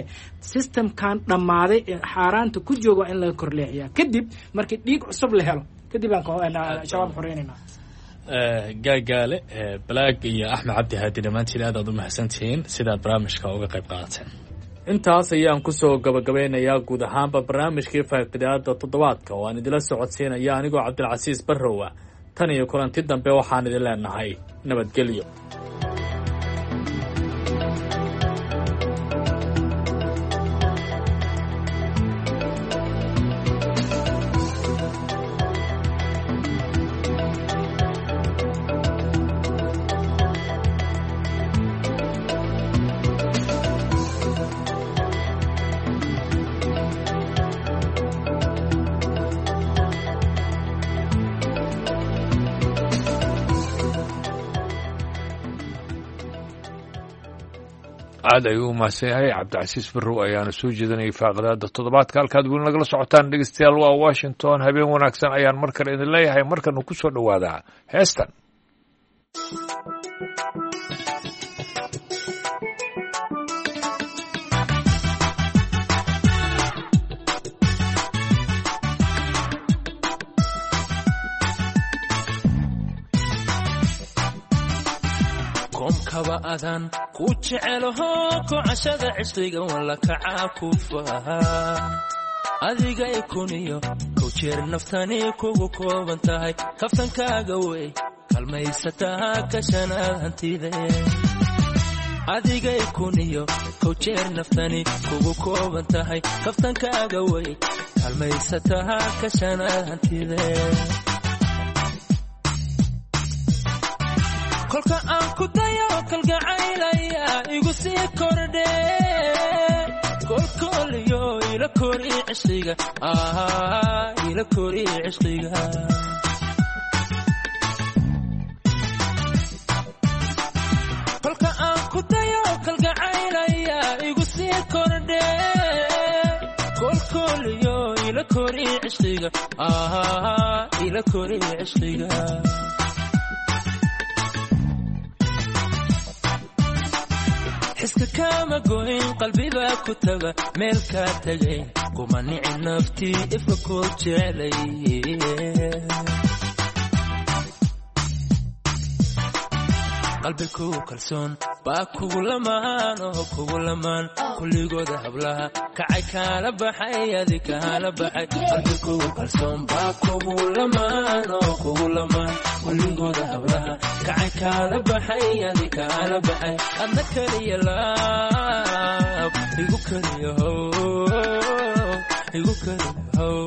Systemkan dhammaaday ee xaaraanta ku jooga in laga korleexiyaa, kadib markii dhiig cusub la helo kadib aan Shabaab xoreynayna. Gaagaale Balaag iyo Axmed Cabdi Haadi, dhammaantiin aad aad u mahadsantihiin sidaad barnaamijka uga qayb qaadateen. Intaas ayaan kusoo gabagabeynayaa guud ahaanba barnaamijkii faaqidaada toddobaadka oo aan idila socodsiinaya anigoo Cabdilcasiis Barrowa. Tan iyo kulanti dambe waxaan idin leenahay nabadgelyo. Aad ayuu u mahadsan yahay Cabdicasiis Barrow ayaana soo jeedinayay faaqidaada toddobaadka. Halkaad weli nagala socotaan dhegeystayaal waa Washington. Habeen wanaagsan ayaan mar kale idin leeyahay. Markanu ku soo dhowaadaa heestan. Koomkaba adaan ku jecelaho, kocashada cishqiga walla kacaa ku faha. Adiga ikuniyo kow jeer naftani kugu kooban tahay, kaftankaaga wey kalmaysataa kashanaad hantide. Adiga ikuniyo kow jeer naftani kugu kooban tahay, kaftankaaga wey kalmaysataa kashanaad hantide. Kolka aan ku dayo kalgacaylaya igu sii kordhe, kolkooliyo ila kori cishqiga, ila kori cishqiga. Kolka aan ku dayo kalgacaylaya igu sii kordhe, kolkooliyo ila kori cishqiga, ila kori cishqiga. Xiska kama goyn, qalbibaa ku taga meel kaa tagay, kuma nici naftii ifka ku jeclay. Qalbi kugu kalsoon baa kugu lamaan oo kugu lamaan, kulligooda hablaha kacay kaala baxay, adi kaala baxay. Qalbi kugu kalsoon baa kugu lamaan oo kugu lamaan, kulligooda hablaha kacay kaala baxay, adi kaala baxay. Adna kaliya laab igu kaliya how, igu kaliya how.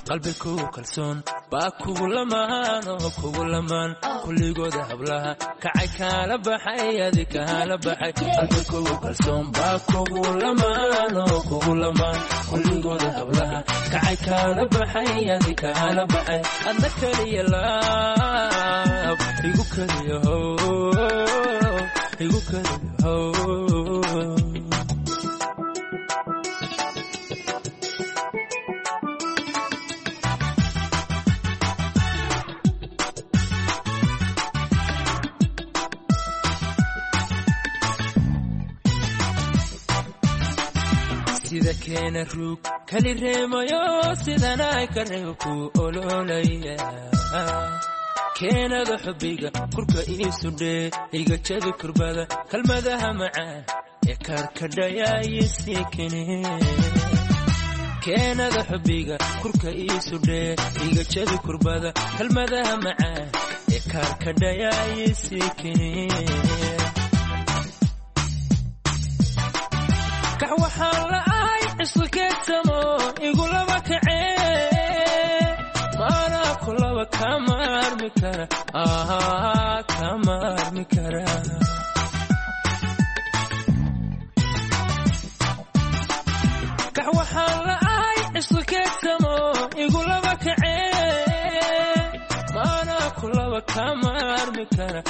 Qalbi kugu kalsoon baa kugu lamaan oo kugu lamaan, kulligooda hablaha kacay kaala baxay, adi kaala baxay. Qalbi kugu kalsoon baa kugu lamaan oo kugu lamaan, kulligooda hablaha kacay kaala baxay, adi kaala baxay. Adna kaliya laab igu kaliya how, igu kaliya how. Sida keena ruug kali reemayo, sidanay ka reeb ku ololaya. Keenada xubbiga kurka iisu dhee, iga jabi kurbada, kalmadaha macaan ee kaarkadhayaayisii kene. Keenada xubbiga kurka iisu dhee, iga jabi kurbada, kalmadaha macaan ee kaarkadhayaayisii kene. Kax waxaan la'ahay cisqikeedsamo igu laba kacee, maanaa ku laba kama armi kara, kama armi kara. Kax waxaan la'ahay cisqikeedsamo igu laba kacee, maanaa ku laba kama armi kara,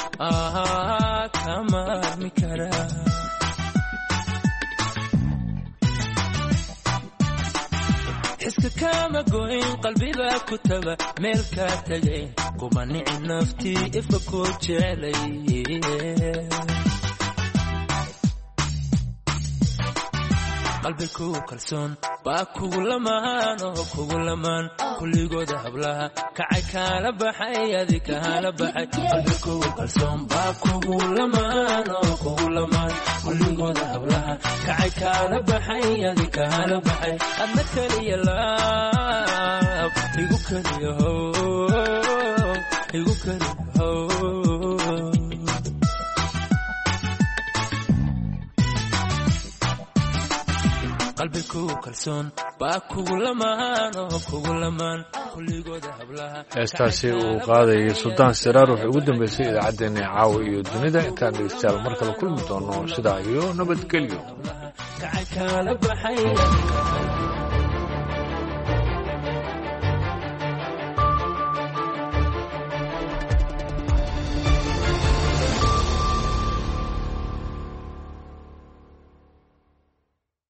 kama armi kara. Xiska kama goyn, qalbibaa ku taga meel kaa tagay, kuma nici naftii ifka ku jeclay. Qalbi kugu kalsoon baa kugu lamaan oo kugu lamaan, kulligooda hablaha kacay kaala baxay, adi kaala baxay. Qalbi kugu kalsoon baa kugu lamaan oo kugu lamaan, kulligooda hablaha kacay kaala baxay, adi kaala baxay. Adna kaliya laab igu kaliya how, igu kaliya how. Qalbi kugu kalsoon baa kugu lamaan oo kugu lamaan, kulligooda hablaha. Heestaasi uu qaadayay Suldaan Siraar waxay ugu dambeysay idaacaddeenna caawa iyo dunida. Intaan dhegeystayaal mar kale kulmi doono, sidaa iyo nabadgelyo. Kacay kaala baxay.